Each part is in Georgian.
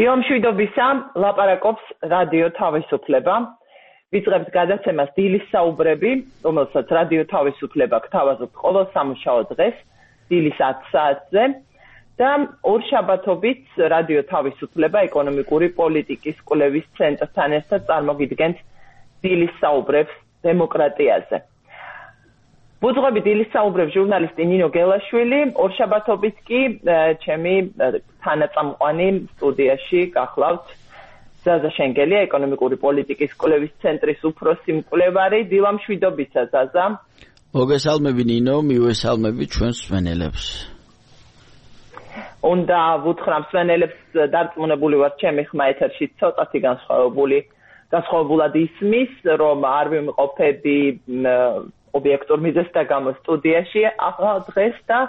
დილამშვიდობისა, ლაპარაკობს რადიო თავისუფლება. ვიწყებთ გადაცემას დილის საუბრები, რომელსაც რადიო თავისუფლება გთავაზობთ ყოველ სამუშაო დღეს, დილის 10 საათზე და ორშაბათობით რადიო თავისუფლება ეკონომიკური პოლიტიკის კვლევის ცენტრთან ერთად წარმოგიდგენთ დილის საუბრებს დემოკრატიაზე. ვუძღვები დილის საუბრებს ჟურნალისტი ნინო გელაშვილი, ორშაბათობით კი ჩემი თანაწამყვანი სტუდიაში გახლავთ ზაზა შენგელია, ეკონომიკური პოლიტიკის კვლევის ცენტრის უფროსი მკვლევარი. დილამშვიდობისა ზაზა. მოგესალმები ნინო, მივესალმები ჩვენს მსმენელებს. უნდა ვუთხრა მსმენელებს დარწმუნებული ვარ ჩემი ხმა ეთერში ცოტათი განსხვავებულად ისმის, რომ არ ვიმყოფები ობიექტურ მიზეზთა გამო სტუდიაში ახლა დღეს და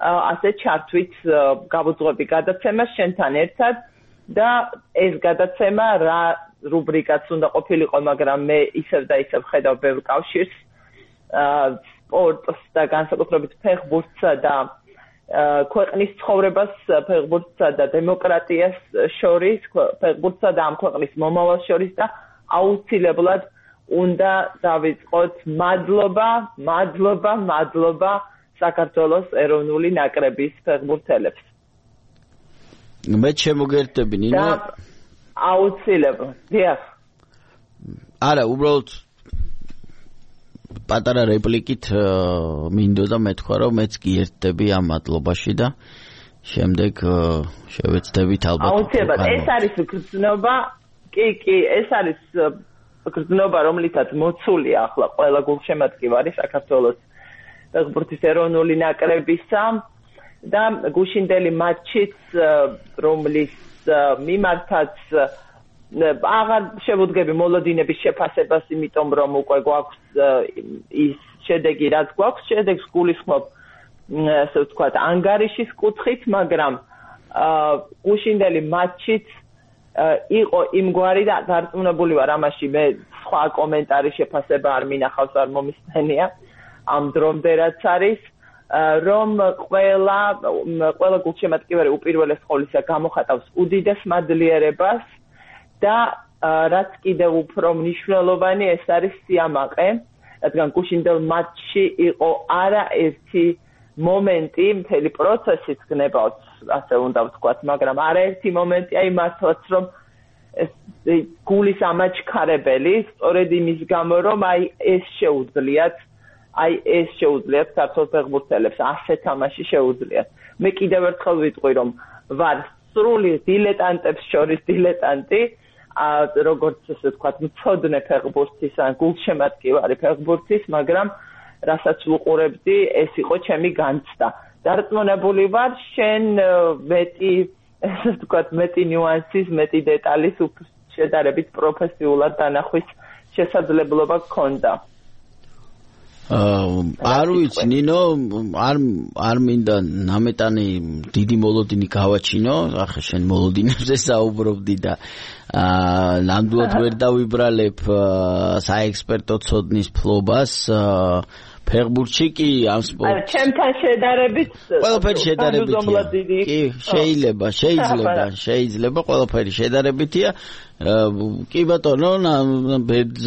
ასე ჩართვით გავუძღვები გადაცემას შენთან ერთად და ეს გადაცემა რა რუბრიკაც უნდა ყოფილიყო, მაგრამ მე ისევ და ისევ ხედავ ბევრ კავშირს სპორტს და განსაკუთრებით ფეხბურთსა და ქვეყნის ცხოვრებას ფეხბურთსა და დემოკრატიას შორის, ფეხბურთსა და ამ ქვეყნის მომავალ შორის და აუცილებლად უნდა დავიწყოთ მადლობა საქართველოს ეროვნული ნაკრების ფეხბურთელებს. მე შემოგერთები ნინო. აუცილებლად. დიახ. არა, უბრალოდ პატარა რეპლიკით მინდოდა მეთქვა, რომ მეც კი ერთდები ამ მადლობაში და შემდეგ შევეცდებით ალბათ. აუცილებლად. ეს არის გრძნობა, კი, ეს არის გრძნობა, რომლითაც მოცულია ახლა ყველა გულშემატკივარი საქართველოს ფეხბურთის ეროვნული ნაკრებისა და გუშინდელი მატჩიც, რომლის მიმართაც აღარ შევუდგები მოლოდინების შეფასებას, იმიტომ რომ უკვე გვაქვს ის შედეგი, რაც გვაქვს, შედეგს გულისხმობ, ასე ვთქვათ, ანგარიშის კუთხით, მაგრამ გუშინდელი მატჩიც იყო იმგვარი და დარწმუნებული ვარ ამაში, მე სხვა კომენტარი შეფასება არ მინახავს, არ მომისმენია ამ დრომდე რაც არის, რომ ყველა გულშემატკივარი უპირველეს ყოვლისა გამოხატავს უდიდეს მადლიერებას და რაც კიდევ უფრო მნიშვნელოვანი, ეს არის სიამაყე, რადგან გუშინდელ მატჩში იყო არაერთი მომენტი, მთელი პროცესიც გნებავთ, ასე უნდა ვთქვათ, მაგრამ არაერთი მომენტი, აი მართლაც რომ გულის ამაჩქარებელი, სწორედ იმის გამო, რომ ეს შეუძლიათ საქართველოს ფეხბურთელებს, ასე თამაში შეუძლიათ. მე კიდევ ერთხელ ვიტყვი, რომ ვარ სრული დილეტანტებს შორის დილეტანტი, როგორც ესე ვთქვათ, მცოდნე ფეხბურთის ან გულშემატკივარი ფეხბურთის, მაგრამ რასაც ვუყურებდი, ეს იყო ჩემი განცდა. დარწმუნებული ვარ, შენ მეტი ნიუანსის, მეტი დეტალის შედარებით პროფესიულად დანახვის შესაძლებლობა გქონდა. არ ვიცი ნინო, არ მინდა ნამეტანი დიდი მოლოდინი გავაჩინო, ახლა შენ მოლოდინებზე საუბრობდი და ნამდვილად ვერ დავიბრალებ საექსპერტო ცოდნის ფლობას ფეხბურთში კი ამ სპორტს. ჩემთან შედარებით ყველაფერი შედარებითია. კი, შეიძლება ყველაფერი შედარებითია. კი ბატონო,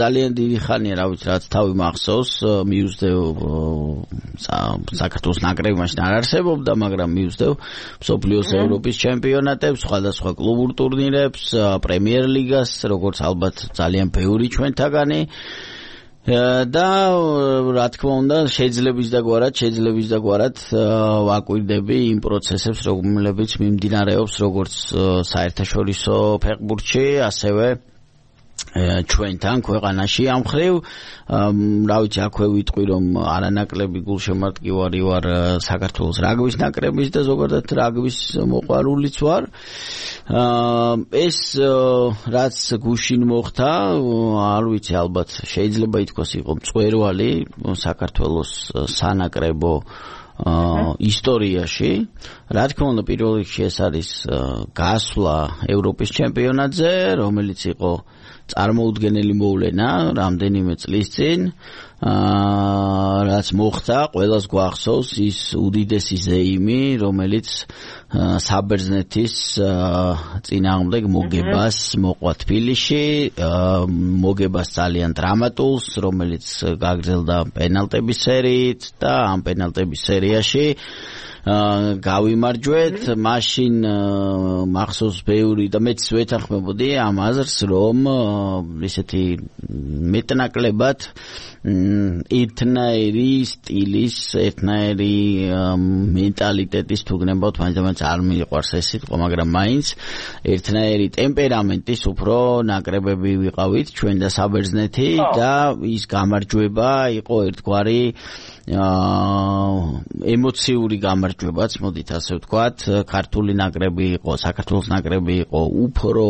ძალიან დიდი ხანია, რა ვიცი, რაც თავი მახსოვს, მიუძდევ საქართველოს ნაკრები მაშინ არ არსებობდა, მაგრამ მიუძდევ მსოფლიოს ევროპის ჩემპიონატებს, სხვადასხვა კლუბურ ტურნირებს, პრემიერ ლიგას, როგორც ალბათ ძალიან ბევრი ჩვენთაგანი. და რა თქმა უნდა შეიძლება და გვარად ვაკვირდები იმ პროცესებს, რომლებიც მიმდინარეობს როგორც საერთაშორისო ფეხბურთში, ასევე ჩვენთან ქვეყანაში ამ ხრივ. რა ვიცი, აქვე ვიტყვი, რომ არანაკლები გულშემატკივარი ვარ საქართველოს რაგბის ნაკრების და ზოგადად რაგბის მოყვარულიც ვარ. ეს რაც გუშინ მოხდა, არ ვიცი, ალბათ შეიძლება ითქვას იყო მწვერვალი საქართველოს სანაკრებო ისტორიაში. რა თქმა უნდა, პირველ რიგში ეს არის გასვლა ევროპის ჩემპიონატზე, რომელიც იყო წარმოუდგენელი მოვლენა რამდენიმე წლის წინ. რაც მოხდა, ყველას გვახსოვს ის უდიდესი ზეიმი, რომელიც საბერძნეთის წინააღმდეგ მოგებას მოყვა თბილისში, მოგებას ძალიან დრამატულს, რომელიც გაგრძელდა პენალტების სერიით და ამ პენალტების სერიაში გავიმარჯვეთ, მაშინ მახსოვს ბევრი და მეც ვეთანხმებოდი ამ აზრს, რომ ისეთი მეტნაკლებად ერთნაირი სტილის, ერთნაირი მენტალიტეტის თუ გნებავთ, მაინც არ მიყვარს ეს სიტყვა, მაგრამ მაინც ერთნაირი ტემპერამენტის უფრო ნაკრებები ვიყავით ჩვენ და საბერძნეთი და ის გამარჯვება იყო ერთგვარი ემოციური გამარჯვებაც, მოდით ასე ვთქვათ, ქართული ნაკრები იყო, საქართველოს ნაკრები იყო უფრო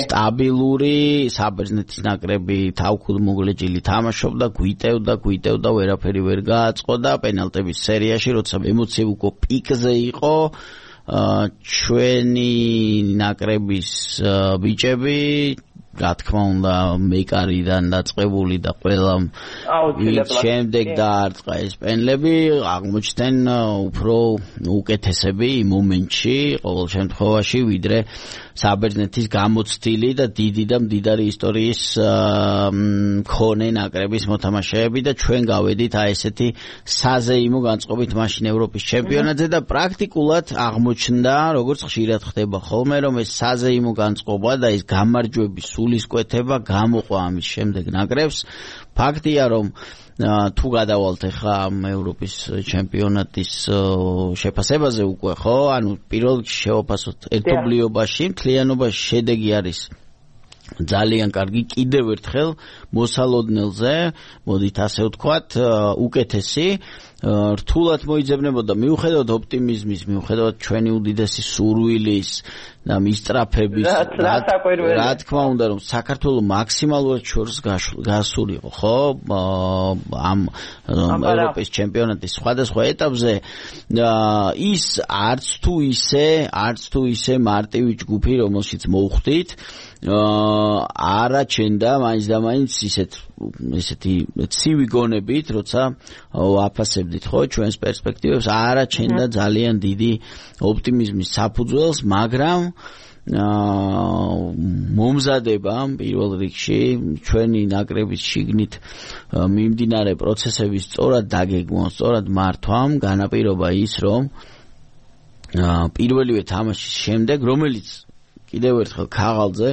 სტაბილური, საბერძნეთის ნაკრები თავქუდმოგლეჯილი თამაშობდა, გვიტევდა, ვერაფერი ვერ გააწყო და პენალტების სერიაში, როცა ემოციები უკვე პიკზე იყო, ჩვენი ნაკრების ბიჭები რა თქმა უნდა მეკარიდან დაწყებული და ყველა შემდეგ დაარტყა ეს პენლები აღმოჩნდნენ უფრო უკეთესები იმ მომენტში ყოველ შემთხვევაში ვიდრე საბერძნეთის გამოცდილი და დიდი და მდიდარი ისტორიის მქონე ნაკრების მოთამაშეები და ჩვენ გავედით აი ესეთი საზეიმო განწყობით მაშინ ევროპის ჩემპიონატზე და პრაქტიკულად აღმოჩნდა როგორც ხშირად ხდება ხოლმე რომ ეს საზეიმო განწყობა და ეს გამარჯვების სულისკვეთება გამოყვა ამის შემდეგ ნაკრებს ფაქტია რომ თუ გადავალთ ახლა ევროპის ჩემპიონატის შეფასებაზე უკვე ხო ანუ პირველ შევაფასოთ ერთობლიობაში მთლიანობაში შედეგი არის ძალიან კარგი კიდევ ერთხელ მოსალოდნელზე მოდით ასე ვთქვათ უკეთესი რთულად მოიძებნებოდა მიუხედავად ოპტიმიზმის მიუხედავად ჩვენი უდიდესი სურვილის და მისწრაფების რა თქმა უნდა რომ საქართველოს მაქსიმალურად შორს გასულიყო ხო ამ ევროპის ჩემპიონატის სხვადასხვა ეტაპზე ის არც თუ ისე მარტივი ჯგუფი რომელშიც მოვხვდით არაჩენდა მაინც და მაინც ისეთი ცივი გონებით როცა ვაფასებდით ხო ჩვენს პერსპექტივებს არაჩენდა ძალიან დიდი ოპტიმიზმის საფუძველს მაგრამ მომზადება პირველ რიგში ჩვენი ნაკრების შიგნით მიმდინარე პროცესების სწორად დაგეგმვა, სწორად მართვამ განაპირობა ის რომ პირველივე თამაშის შემდეგ რომელიც კიდევ ერთხელ ქაღალდზე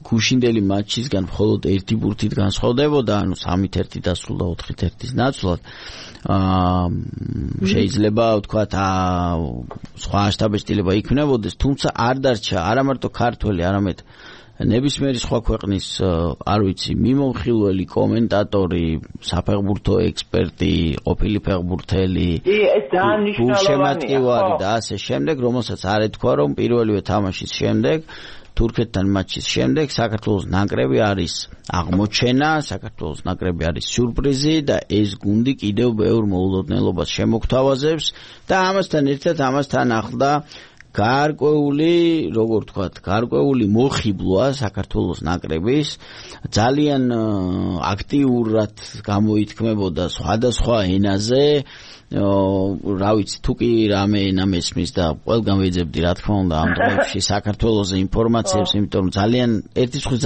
გუშინდელი მატჩისგან მხოლოდ ერთი ბურთით განსხვავდებოდა, ანუ 3-1 დასრულდა 4-1-ის ნაცვლად. შეიძლება ვთქვათ, სხვა შტაბეჭდილება იქნებოდეს, თუმცა არ დარჩა არა მარტო ქართველი, არამედ ნებისმიერი სხვა ქვეყნის, არ ვიცი, მიმოხილველი კომენტატორი, საფეხბურთო ექსპერტი, ყოფილი ფეხბურთელი, გულშემატკივარი და ასე შემდეგ, რომელსაც არ ეთქვა, რომ პირველივე თამაშის შემდეგ თურქეთთან მატჩის შემდეგ საქართველოს ნაკრები არის აღმოჩენა, საქართველოს ნაკრები არის სიურპრიზი და ეს გუნდი კიდევ ბევრ მოულოდნელობას შემოგთავაზებს და ამასთან ერთად ამასთან ახლდა გარკვეული, როგორ ვთქვათ, გარკვეული მოხიბლვა საქართველოს ნაკრების ძალიან აქტიურად გამოითქმებოდა სხვადასხვა ენაზე რა ვიცი თუ კი რამე ენა მესმის და ყველგან ვეძებდი რა თქმა უნდა ამ დღეებში საქართველოზე ინფორმაციებს იმიტომ რომ ერთი ხრი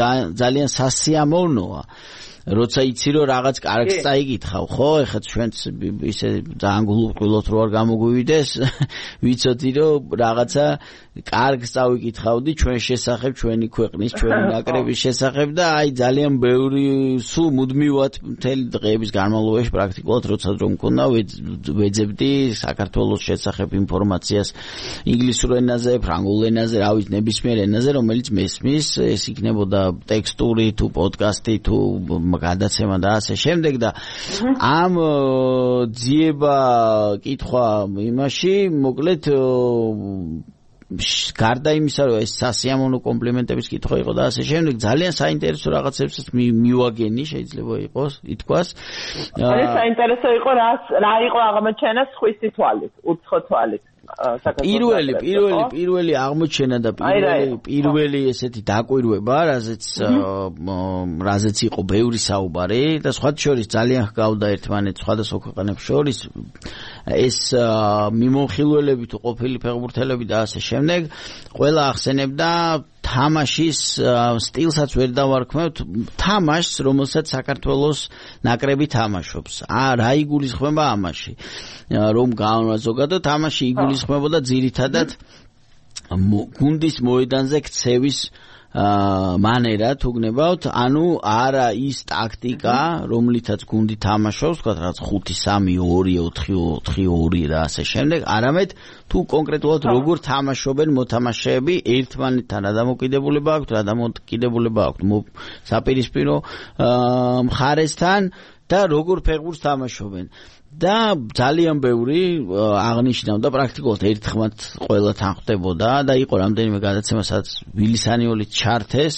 ძალიან სასიამოვნოა როცა იცი რომ რაღაც კარგს წაიგითხავ ხო ეხლა ჩვენც ისე ძალიან გულუყვილოთ რო არ გამოგვივიდეს ვიცოდი რომ რაღაცა კარგს წავიკითხავდი ჩვენ შესახებ ჩვენი ქვეყნის ჩვენი ნაკრების შესახებ და აი ძალიან ბევრი სულ მუდმივად მთელი დღეების განმავლობაში პრაქტიკულად როცა რომ მქონდა ვეძებდი საქართველოს შესახებ ინფორმაციას ინგლისურ ენაზე, ფრანგულ ენაზე, რა ვიცი ნებისმიერ ენაზე რომელიც მესმის ეს იქნებოდა ტექსტური თუ პოდკასტი თუ გადაცემა და ასე შემდეგ და ამ ძიება კითხვა იმაში მოკლედ გარდა იმისა რომ ეს სასიამოვნო კომპლიმენტების კითხვა იყო და ასე შემდეგ ძალიან საინტერესო რაღაცებსაც მივაგენი შეიძლება იყოს ითქვას ეს საინტერესო იყო რა იყო აღმოჩენა სხვისი თვალით უცხო თვალით საქართველოს პირველი აღმოჩენა და პირველი ესეთი დაკვირვება, რაზეც იყო ბევრი საუბარი და სხვა შორის ძალიან ჰგავდა ერთმანეთს სხვადასხვა ქვეყნებს შორის ეს მიმოხილველები თუ ყოფილი ფეხბურთელები და ასე შემდეგ ყველა ახსენებდა თამაშის სტილსაც ვერ დავარქმევთ თამაშს რომელსაც საქართველოს ნაკრები თამაშობს რა იგულისხმება ამაში რომ ზოგადად თამაში იგულისხმებოდა ძირითადად გუნდის მოედანზე ქცევის მანერა თუ გნებავთ ანუ არა ის ტაქტიკა რომლითაც გუნდი თამაშობს თქვა რაც 5-3-2-4-4-2 და ასე შემდეგ არამედ თუ კონკრეტულად როგორ თამაშობენ მოთამაშეები ერთმანეთთან რა დამოკიდებულება აქვთ რა დამოკიდებულება აქვთ საპირისპირო მხარესთან და როგორ ფეხბურთს თამაშობენ და ძალიან ბევრი აღნიშნავდა პრაქტიკულად ერთხმად ყველა თან ხვდებოდა და იყო რამდენიმე გადაცემა სადაც ვილისანიოლი ჩართეს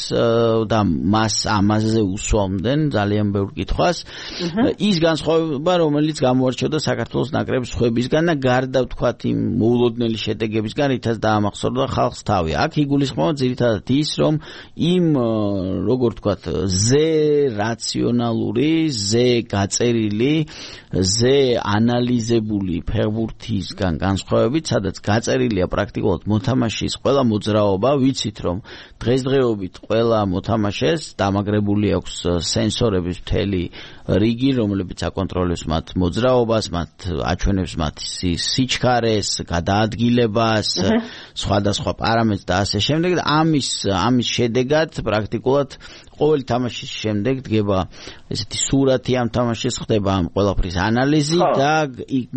და მას ამაზე უსვამდნენ ძალიან ბევრ კითხვას ის განსხვავება რომელიც გამოარჩევდა საქართველოს ნაკრების ხვებისგან და გარდა ვთქვათ იმ მოულოდნელი შედეგებისგან რითაც დაამახსოვრდა ხალხს თავი აქ იგულისხმება ძირითადად ის რომ იმ როგორ ვთქვათ ზე რაციონალური ზე გაწერილი ზე ანალიზებული ფეხბურთისგან განსხვავებით, სადაც გაწერილია პრაქტიკულად მოთამაშის ყველა მოძრაობა, ვიცით რომ დღესდღეობით ყველა მოთამაშეს დამაგრებული აქვს სენსორების მთელი რიგი, რომლებიც აკონტროლებს მათ მოძრაობას, მათ აჩვენებს მათ სიჩქარეს, გადაადგილებას, სხვადასხვა პარამეტრებს და ასე შემდეგ და ამის შედეგად პრაქტიკულად ყოველი თამაშის შემდეგ დგება ესეთი სურათი ამ თამაშის ხდება ამ ყველაფრის ანალიზი და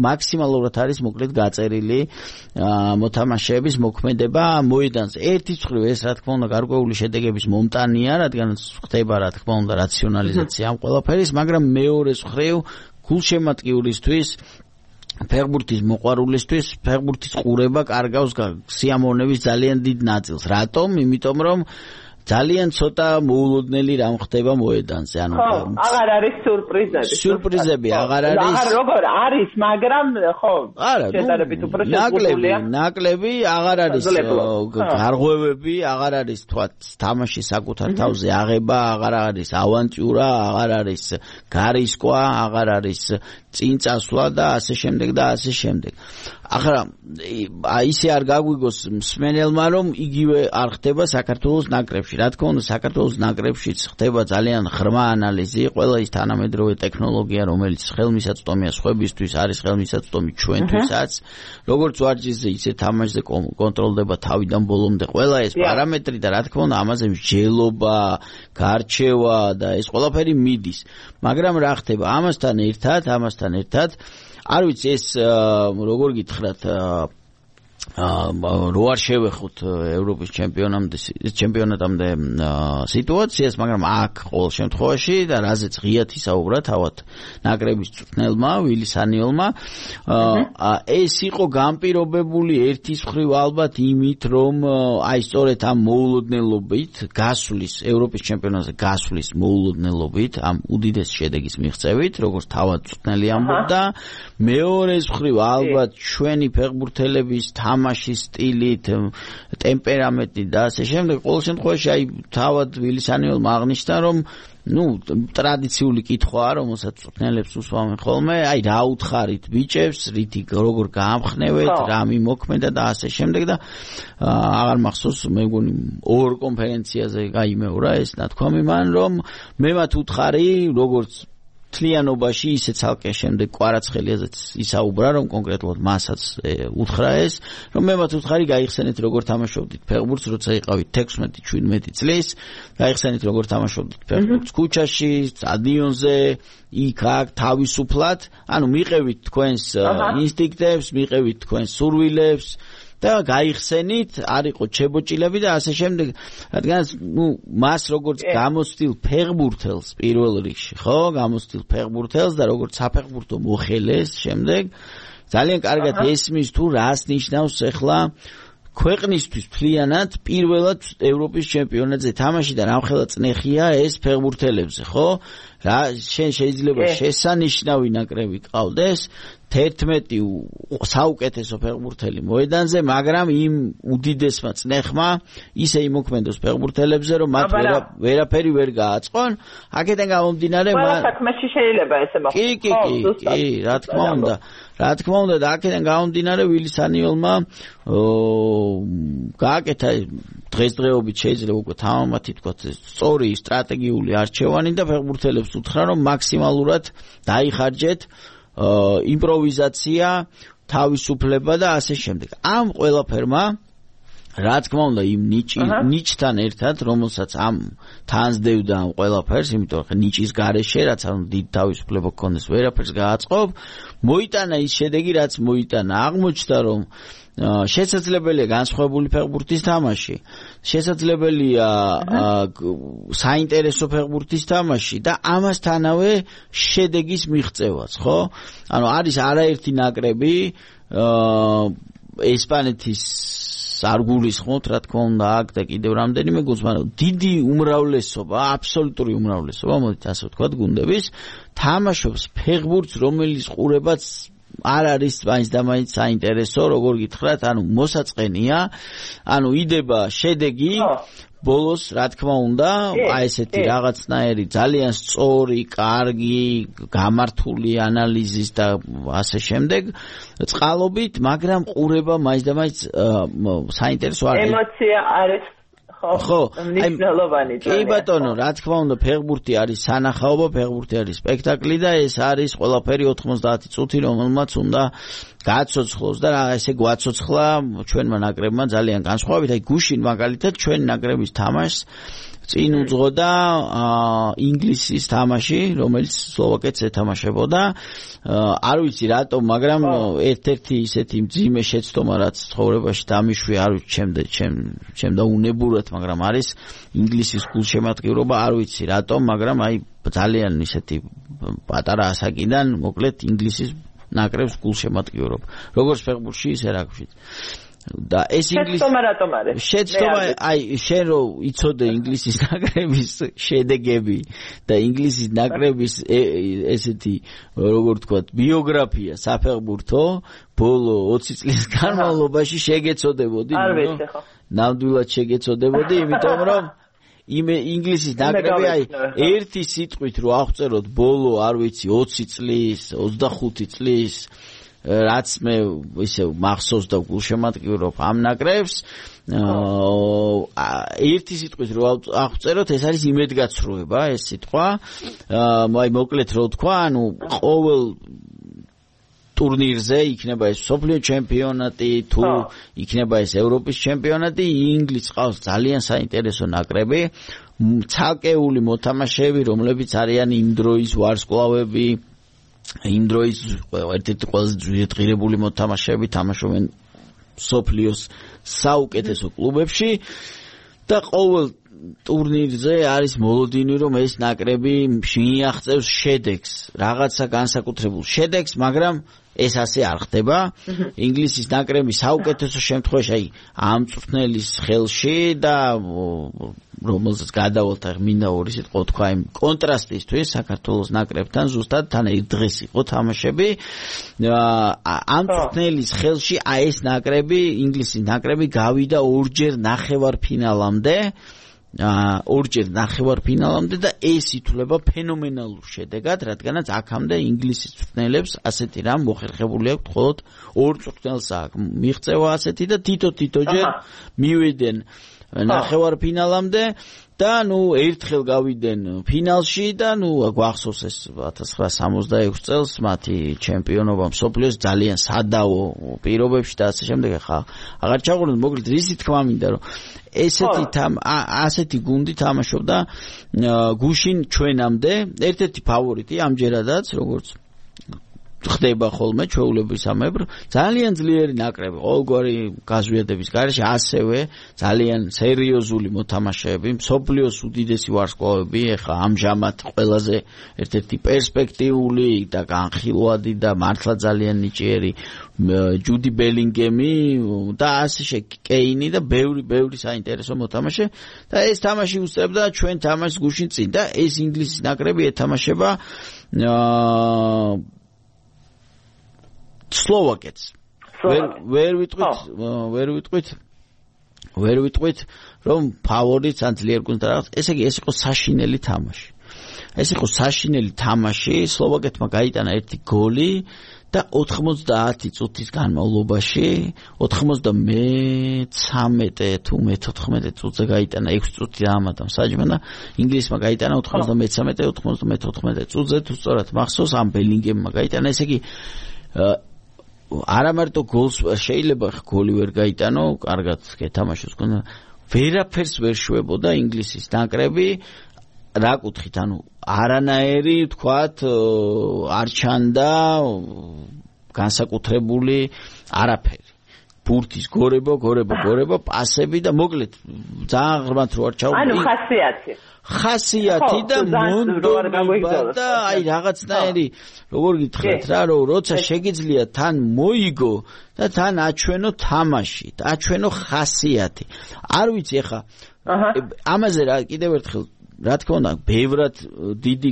მაქსიმალურად არის მოკლედ გაწერილი მოთამაშეების მოქმედება მოედანზე. ერთის მხრივ ეს რა თქმა უნდა გარკვეული შედეგების მომტანია, რადგან ხდება რა თქმა უნდა რაციონალიზაცია ამ ყველაფერის, მაგრამ მეორეს მხრივ გულშემატკივრისთვის ფეხბურთის მოყვარულისთვის ფეხბურთის ყურება კარგავს სიამოვნების ძალიან დიდ ნაწილს. რატომ? იმიტომ რომ ძალიან ცოტა მოულოდნელი რამ ხდება მოედანზე. ანუ აღარ არის სურპრიზები. სურპრიზები აღარ არის. როგორ არის, მაგრამ ხო, შედარებით უფრო შეგუებულია. ნაკლები აღარ არის. გარღვევები აღარ არის, თქვა, თამაშის საკუთარ თავზე აღება, აღარ არის ავანტიურა, აღარ არის გარისკვა, აღარ არის წინ წასვლა და ასე შემდეგ და ასე შემდეგ. ახლა ისე არ გაგვიგოს მსმენელმა რომ იგივე არ ხდება საქართველოს ნაკრებში. რა თქმა უნდა საქართველოს ნაკრებშიც ხდება ძალიან ღრმა ანალიზი, ყველა ის თანამედროვე ტექნოლოგია, რომელიც ხელმისაწვდომია სხვებისთვის, არის ხელმისაწვდომი ჩვენთვისაც. როგორც ვარჯიშზე, ისე თამაშზე კონტროლდება თავიდან ბოლომდე ყველა ეს პარამეტრი და რა თქმა უნდა ამაზე მსჯელობა, გარჩევა და ეს ყველაფერი მიდის. მაგრამ რა ხდება ამასთან ერთად არ ვიცი ეს როგორ გითხრათ რო არ შევეხოთ ევროპის ჩემპიონატამდე სიტუაციას, მაგრამ აქ ყოველ შემთხვევაში და რაზეც ღიათ ისაუბრა თავად ნაკრების წვრთნელმა ვილისანიოლმა ეს იყო განპირობებული ერთის მხრივ ალბათ იმით, რომ აი სწორედ ამ მოულოდნელობით გასვლის ევროპის ჩემპიონატზე გასვლის მოულოდნელობით ამ უდიდეს შედეგის მიღწევით, როგორც თავად წვრთნელი ამბობდა, მეორეს მხრივ ალბათ ჩვენი ფეხბურთელების თამაშის სტილით, ტემპერამენტით და ასე შემდეგ. ყოველ შემთხვევაში აი თავად ვილისანიოლმა აღნიშნა, რომ ტრადიციული კითხვაა, რომელსაც წვრთნელებს უსვამენ ხოლმე, აი რა უთხარით ბიჭებს, რითი როგორ გაამხნევეთ, რა მიმოქმედა და ასე შემდეგ და აღარ მახსოვს, მე მგონი ორ კონფერენციაზე გაიმეორა ეს ნათქვამი მან, რომ მე მათ უთხარი, როგორც თლიანობაში ისე ცალკე შემდეგ კვარაცხელიაზეც ისაუბრა, რომ კონკრეტულად მასაც უთხრა ეს, რომ მე მათ უთხარი გაიხსენეთ როგორ თამაშობდით ფეხბურთს, როცა იყავით 16-17 წლის, გაიხსენეთ როგორ თამაშობდით ფეხბურთს ქუჩაში, სტადიონზე, იქ-აქ თავისუფლად, ანუ მიყევით თქვენს ინსტინქტებს, მიყევით თქვენს სურვილებს და გაიხსენით, არ იყო ჩებოჭილები და ასე შემდეგ, რადგან მას როგორც გამოცდილ ფეხბურთელს პირველ რიგში, ხო, გამოცდილ ფეხბურთელს და როგორც საფეხბურთო მოხელეს შემდეგ ძალიან კარგად ესმის თუ რას ნიშნავს ახლა ქვეყნისთვის მთლიანად პირველად ევროპის ჩემპიონატზე თამაში და რამხელა წნეხია ეს ფეხბურთელებზე, ხო? რა შენ შეიძლება შესანიშნავი ნაკრები ყავდეს 11 საუკეთესო ფეხბურთელი მოედანზე, მაგრამ იმ უდიდესმა წნეხმა ისე იმოქმედოს ფეხბურთელებზე, რომ მათ ვერაფერი ვერ გააწყონ. აქედან გამომდინარე, ყველა საქმეში შეიძლება ესე მოხდეს. კი, რა თქმა უნდა. რა თქმა უნდა, და აქედან გამომდინარე ვილი სანიოლმა გააკეთა დღესდღეობით შეიძლება უკვე თამამად ითქვათ სწორი სტრატეგიული არჩევანი და ფეხბურთელებს უთხრა, რომ მაქსიმალურად დაიხარჯეთ იმპროვიზაცია, თავისუფლება და ასე შემდეგ. ამ ყველაფერმა რა თქმა უნდა იმ ნიჭთან ერთად, რომელსაც ამ თანსდევდა ამ ყველაფერს, იმიტომ რომ ნიჭის გარეშე, რაც ამ დიდ თავისუფლება გქონდეს, ვერაფერს გააწყობ, მოიტანა ის შედეგი, რაც მოიტანა. აღმოჩნდა, რომ შესაძლებელია განსხვავებული ფეხბურთის თამაში, შესაძლებელია საინტერესო ფეხბურთის თამაში და ამასთანავე შედეგის მიღწევაც, ხო? ანუ არის არაერთი ნაკრები ესპანეთის არ გულისხმობთ, რა თქმა უნდა, აქ და კიდევ რამდენიმე გუნდს, მაგრამ დიდი უმრავლესობა, აბსოლუტური უმრავლესობა, მოდით ასე ვთქვათ, გუნდების თამაშობს ფეხბურთს, რომელიც ყურებაც არ არის მაინც და მაინც საინტერესო, როგორ გითხრათ, ანუ მოსაწყენია, ანუ იდება შედეგი ბოლოს, რა თქმა უნდა, აი ესეთი რაღაცნაირი ძალიან სწორი, კარგი, გამართული ანალიზის და ასე შემდეგ წყალობით, მაგრამ ყურება მაინც და მაინც საინტერესო არის. ემოცია არის ხო, მნიშვნელოვანი. კი ბატონო, რა თქმა უნდა, ფეხბურთი არის სანახაობა, ფეხბურთი არის სპექტაკლი და ეს არის ყველაფერი 90 წუთი, რომელმაც უნდა გააცოცხლოს და ესე გვაცოცხლა ჩვენმა ნაკრებმა ძალიან განსხვავებით. აი გუშინ მაგალითად ჩვენი ნაკრების თამაშს წინ უძღოდა ინგლისის თამაში, რომელიც სლოვაკეთს ეთამაშებოდა. არ ვიცი რატომ, მაგრამ ერთ-ერთი ისეთი მძიმე შეცდომა, რაც ცხოვრებაში დამიშვი, არ ვიცი, ჩემ და უნებურად, მაგრამ არის ინგლისის გულშემატკივრობა, არ ვიცი რატომ, მაგრამ აი ძალიან ისეთი პატარა ასაკიდან, მოკლედ ინგლისის ნაკრებს გულშემატკივრობა. როგორც ფეხბურთში, ისე რაგბიშიც. და ეს შეცდომა რატომ არის? შეცდომა, აი შენ რო იცოდე ინგლისის ნაკრების შედეგები და ინგლისის ნაკრების ესეთი როგორ ვთქვათ ბიოგრაფია საფეხბურთო ბოლო 20 წლის განმავლობაში შეგეცოდებოდი, არ ვიცი ხო? ნამდვილად შეგეცოდებოდი, იმიტომ რომ ინგლისის ნაკრები აი ერთი სიტყვით რო აღწეროთ ბოლო, არ ვიცი, 20 წლის, 25 წლის რაც მე ისე მახსოვს და გულშემატკივრობ ამ ნაკრებს, ერთი სიტყვით რო აღწეროთ, ეს არის იმედგაცრუება, ეს სიტყვა. აი მოკლედ რო თქვა, ანუ ყოველ ტურნირზე იქნება ეს მსოფლიო ჩემპიონატი, თუ იქნება ეს ევროპის ჩემპიონატი, ინგლისს ყავს ძალიან საინტერესო ნაკრები, ცალკეული მოთამაშეები, რომლებიც არიან იმ დროის ვარსკვლავები, იმ დროის ერთ-ერთი ყველაზე ძვირადღირებული მოთამაშეები, თამაშობენ მსოფლიოს საუკეთესო კლუბებში და ყოველ ტურნირზე არის მოლოდინი, რომ ეს ნაკრები მიაღწევს შედეგს, რაღაცა განსაკუთრებულ შედეგს, მაგრამ ეს ასე არ ხდება. ინგლისის ნაკრები საუკეთესო შემთხვევაში აი ამ წვრთნელის ხელში და რომელსაც გადავალთ მინდა ორი სიტყვა თქვა იმ კონტრასტისთვის საქართველოს ნაკრებთან ზუსტად თან ერთ დღეს იყო თამაშები. ამ წვრთნელის ხელში აი ეს ნაკრები, ინგლისის ნაკრები გავიდა ორჯერ ნახევარფინალამდე. ორჯერ ნახევარფინალამდე და ეს ითვლება ფენომენალურ შედეგად, რადგანაც აქამდე ინგლისის წვრთნელებს ასეთი რამ მოხერხებული აქვს, მხოლოდ ორ წვრთნელს აქვს მიღწევა ასეთი და თითო-თითოჯერ მივიდნენ ნახევარფინალამდე და ნუ ერთხელ გავიდნენ ფინალში და ნუ გვახსოვს ეს 1966 წელს მათი ჩემპიონობა მსოფლიოს ძალიან სადავო პირობებში და ასე შემდეგ. ხა აღარ ჩაღვიძლია, მოკლედ რისი თქმა მინდა, რომ ასეთი გუნდი თამაშობდა გუშინ ჩვენამდე, ერთ-ერთი ფავორიტი ამჯერადაც, როგორც ხდება ხოლმე ჩვეულებისამებრ, ძალიან ძლიერი ნაკრები, ყოველგვარი გაზვიადების გარეშე, ასევე ძალიან სერიოზული მოთამაშეები, მსოფლიოს უდიდესი ვარსკვლავები, ეხა ამჟამად ყველაზე ერთ-ერთი პერსპექტიული და განხილვადი და მართლა ძალიან ნიჭიერი ჯუდი ბელინგემი და ასე კეინი და ბევრი საინტერესო მოთამაშე და ეს თამაში უსწრებდა ჩვენ თამაშს გუშინ წინ და ეს ინგლისის ნაკრები ეთამაშება სლოვაკეთს ვერ ვიტყვით რომ ფავორიტს ან ძლიერ გუნდს რაღაც ესე იგი ეს იყო საშინელი თამაში ეს იყო საშინელი თამაში სლოვაკეთმა გაიტანა ერთი გოლი და 90 წუთის განმავლობაში 93 თუ 14 წუთზე გაიტანა 6 წუთი ამატა საჯმა და ინგლისმა გაიტანა 93 წუთზე თუ სწორად მახსოვს ამ ბელინგემმა გაიტანა ესე იგი არამარტო გოლს შეიძლება გოლი ვერ გაიტანო კარგად გეთამაშოს გონდა ვერაფერს ვერ შვებოდა ინგლისის ნაკრები რა კუთხით ანუ არანაირი თქვათ არ ჩანდა განსაკუთრებული არაფერი ბურთის გორება პასები და მოკლედ ძალიან ღრმად რო არ ჩავდი ანუ ხასიათი და მონდომება და აი რაღაცნაირი როგორ გითხრათ რა რომ როცა შეგიძლია თან მოიგო და თან აჩვენო თამაში და აჩვენო ხასიათი არ ვიცი ახლა ამაზე რა კიდევ ერთხელ რა თქმა უნდა ბევრად დიდი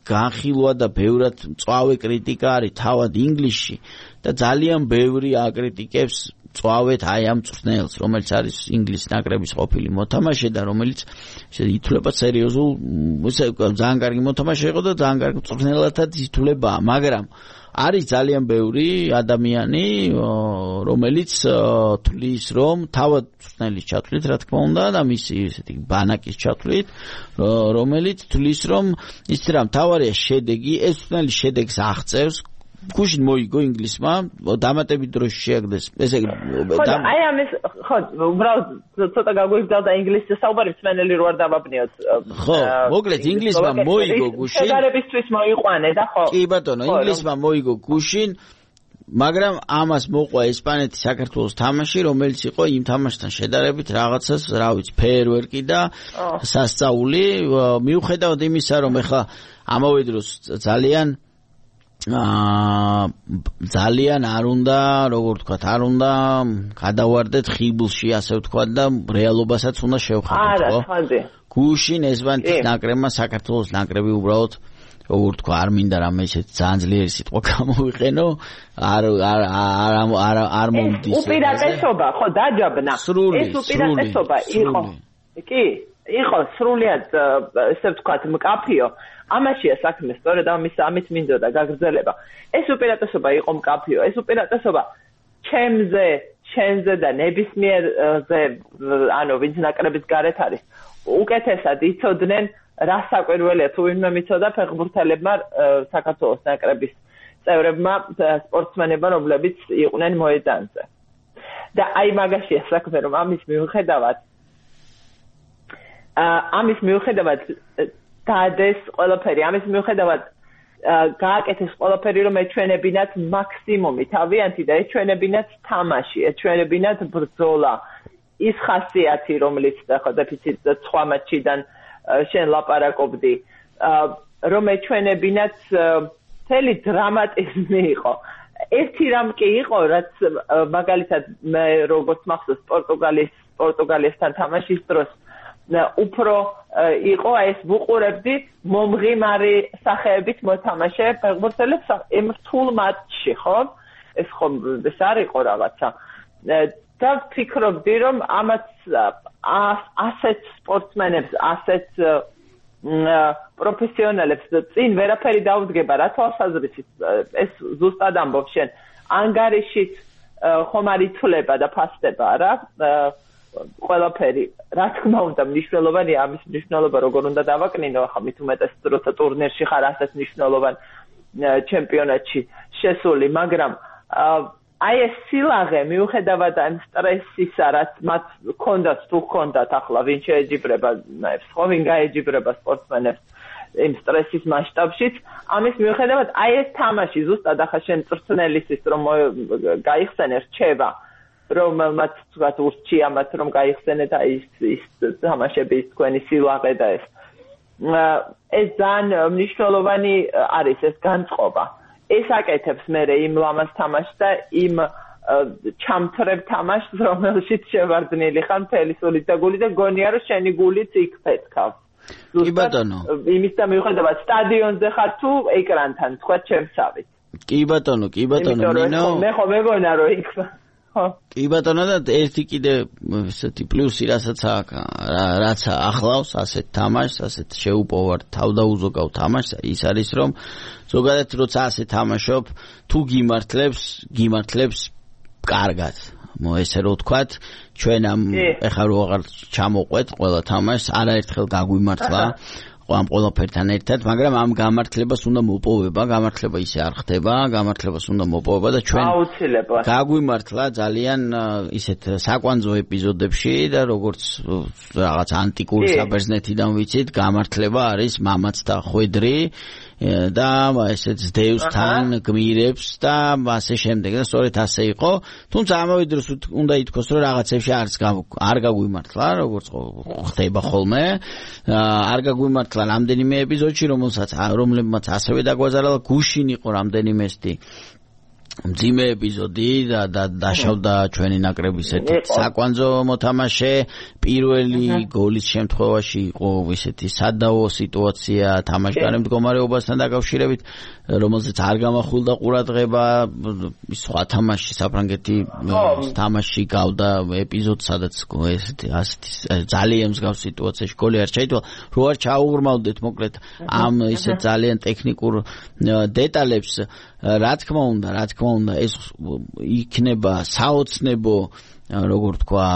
განხილვა და ბევრად მწვავე კრიტიკა არის თავად ინგლისში და ძალიან ბევრი აკრიტიკებს წვავეთ აი ამ წვრთნელს რომელიც არის ინგლისის ნაკრების ყოფილი მოთამაშე და რომელიც ითვლება სერიოზულ ძალიან კარგი მოთამაშე იყო და ძალიან კარგი წვრთნელადაც ითვლებაა მაგრამ არის ძალიან ბევრი ადამიანი რომელიც თვლის რომ თავად წვრთნელის ჩათვლით რა თქმა უნდა და მისი ესეთი ბანაკის ჩათვლით რომელიც თვლის რომ ის რა მთავარია შედეგი ეს წვრთნელი შედეგს აღწევს გუშინ მოიგო ინგლისმა დამატებით დროში შეაგდეს ესე იგი აი ამის ხო უბრალოდ ცოტა გაგვიგზავნა ინგლისის საუბარი მსმენელი რო არ დავაბნიოთ ხო მოკლედ ინგლისმა მოიგო გუშინ შედარებისთვის მოიყვანე და ხო კი ბატონო ინგლისმა მოიგო გუშინ მაგრამ ამას მოყვა ესპანეთის საქართველოს თამაში რომელიც იყო იმ თამაშთან შედარებით რაღაცას რა ვიცი ფეერვერკი და სასწაული მიუხედავად იმისა რომ ეხლა ამავე დროს ძალიან არ უნდა როგორ ვთქვათ არ უნდა გადავარდეთ ხიბლში ასე ვთქვათ და რეალობასაც უნდა შევხედოთ ხო გუშინ ესპანეთის ნაკრებმა საქართველოს ნაკრები უბრალოდ როგორ ვთქვა არ მინდა რამე ისეთ ძალიან ძლიერი სიტყვა გამოვიყენო არ მომდის უპირატესობა ხო დაჯაბნა ეს უპირატესობა იყო კი იყო სრულიად ესე ვთქვათ მკაფიო ამაშია საქმე სწორედ ამით მინდოდა გაგრძელება ეს უპირატესობა იყო მკაფიო ეს უპირატესობა ჩემზე და ნებისმიერზე ანუ ვინც ნაკრების გარეთ არის უკეთესად იცოდნენ რა საკვირველია თუ ვინმე მიცოდა ფეხბურთელებმა საქართველოს ნაკრების წევრებმა სპორტსმენებმა რომლებიც იყვნენ მოედანზე და აი მაგაშია საქმე რომ ამის მიუხედავად დადეს ყველაფერი ამის მიუხედავად გააკეთეს ყველაფერი რომ ეჩვენებინათ მაქსიმუმი თავიანთი და ეჩვენებინათ თამაში ეჩვენებინათ ბრძოლა ის ხასიათი რომელიც ხო დეფიციტ 9 მატჩიდან შენ ლაპარაკობდი რომ ეჩვენებინათ მთელი დრამატიზმი იყო ერთი რამ კი იყო რაც მაგალითად მე როგორც მახსოვს პორტუგალიასთან თამაშის დროს უფრო იყო ეს ვუყურებდი მომღიმარი სახეებით მოთამაშე ფეხბურთელებს იმ რთულ მატჩში ხო ეს ხომ ეს არ იყო რაღაცა და ვფიქრობდი რომ ამაც ასეთ სპორტსმენებს ასეთ პროფესიონალებს წინ ვერაფერი დაუდგება რა თვალსაზრისით ეს ზუსტად ამბობ შენ ანგარიშით ხომ არ იცვლება და ფასდება რა ყველაფერი რა თქმა უნდა მნიშვნელოვანია ამის მნიშვნელობა როგორ უნდა დავაკნინო ახლა მით უმეტეს როცა ტურნირში ხარ ასეთ მნიშვნელოვან ჩემპიონატში შესული მაგრამ აი ეს სილაღე მიუხედავად ამ სტრესისა რაც მათ ჰქონდათ თუ ჰქონდათ ახლა ვინ შეეჯიბრება ხო ვინ გაეჯიბრება სპორტსმენებს იმ სტრესის მასშტაბშიც ამის მიუხედავად აი ეს თამაში ზუსტად ახლა შენ წრწნელისის რომ გაიხსენე რჩება რომელმაც თქვათ ურჩია მათ რომ გაიხსენეთ აი ის თამაშები ის თქვენი სილაღე და ეს ძალიან მნიშვნელოვანი არის ეს განწყობა ეს აკეთებს მე იმ ლამაზ თამაშს და იმ ჩამთრებ თამაშს რომელშიც შევარდნილი ხარ მთელი სულით და გულით და გონია რომ შენი გულიც იქ ფეთქავს კი ბატონო იმის და მიუხედავად სტადიონზე ხარ თუ ეკრანთან თქვა ჩემსავით კი ბატონო ნინო მე ხო მეგონა რომ იქ ხო კი ბატონო და ერთი კიდე ესეთი პლუსი რასაც რაც ახლავს ასეთ თამაშს ასეთ შეუპოვარ თავდაუზოგავ თამაშს ის არის რომ ზოგადად როცა ასე თამაშობ თუ გიმართლებს კარგად ესე რო ვთქვათ ჩვენ ამ ეხლა რო აღარ ჩამოყვეთ ყველა თამაშს არაერთხელ გაგვიმართლა ამ ყველაფერთან ერთად, მაგრამ ამ გამართლებას უნდა მოპოვება, გამართლება ისე არ ხდება, გამართლებას უნდა მოპოვება და ჩვენ აუცილებლად გაგვიმართლა ძალიან ისეთ საკვანძო ეპიზოდებში და როგორც რაღაც ანტიკური საბერძნეთიდან ვიცით, გამართლება არის მამაც და ხვედრი და ესეც ძდევს თან გმირებს და ასე შემდეგ და სწორედ ასე იყო, თუმცა ამავე დროს უნდა ითქვას, რომ რაღაცებში არ გაგვიმართლა, როგორც ხდება ხოლმე, არ გაგვიმართლა რამდენიმე ეპიზოდში, რომლებმაც ასევე დაგვაზარალა, გუშინ იყო რამდენიმე მძიმე ეპიზოდი და დაშავდა ჩვენი ნაკრების ერთ საკვანძო მოთამაშე პირველი გოლის შემთხვევაში იყო ისეთი სადავო სიტუაცია თამაშგარე მდგომარეობასთან დაკავშირებით რომელზეც არ გამახვილდა ყურადღება სხვა თამაში საფრანგეთი თამაში გავდა ეპიზოდს სადაც ასეთი ძალიან მსგავს სიტუაციაში გოლი არ ჩაიტოლა რო არ ჩაუღრმავდეთ მოკლედ ამ ისეთ ძალიან ტექნიკურ დეტალებს რა თქმა უნდა ეს იქნება საოცნებო როგორ თქვა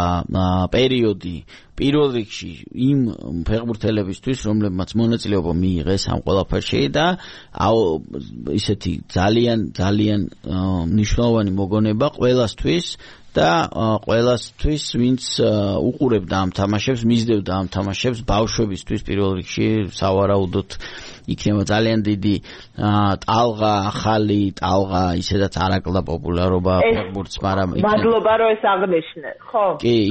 პერიოდი პირველ რიგში იმ ფეხბურთელებისთვის რომლებმაც მონაწილეობა მიიღეს ამ ყველაფერში და ისეთი ძალიან მნიშვნელოვანი მოგონება ყველასთვის და ყველასთვის ვინც უყურებდა ამ თამაშებს მისდევდა ამ თამაშებს ბავშვებისთვის პირველ რიგში სავარაუდოდ იქნება ძალიან დიდი ახალი ტალღა ისედაც არაკლდა პოპულარობა ფეხბურთს მაგრამ მადლობა რომ ეს აღნიშნე ხო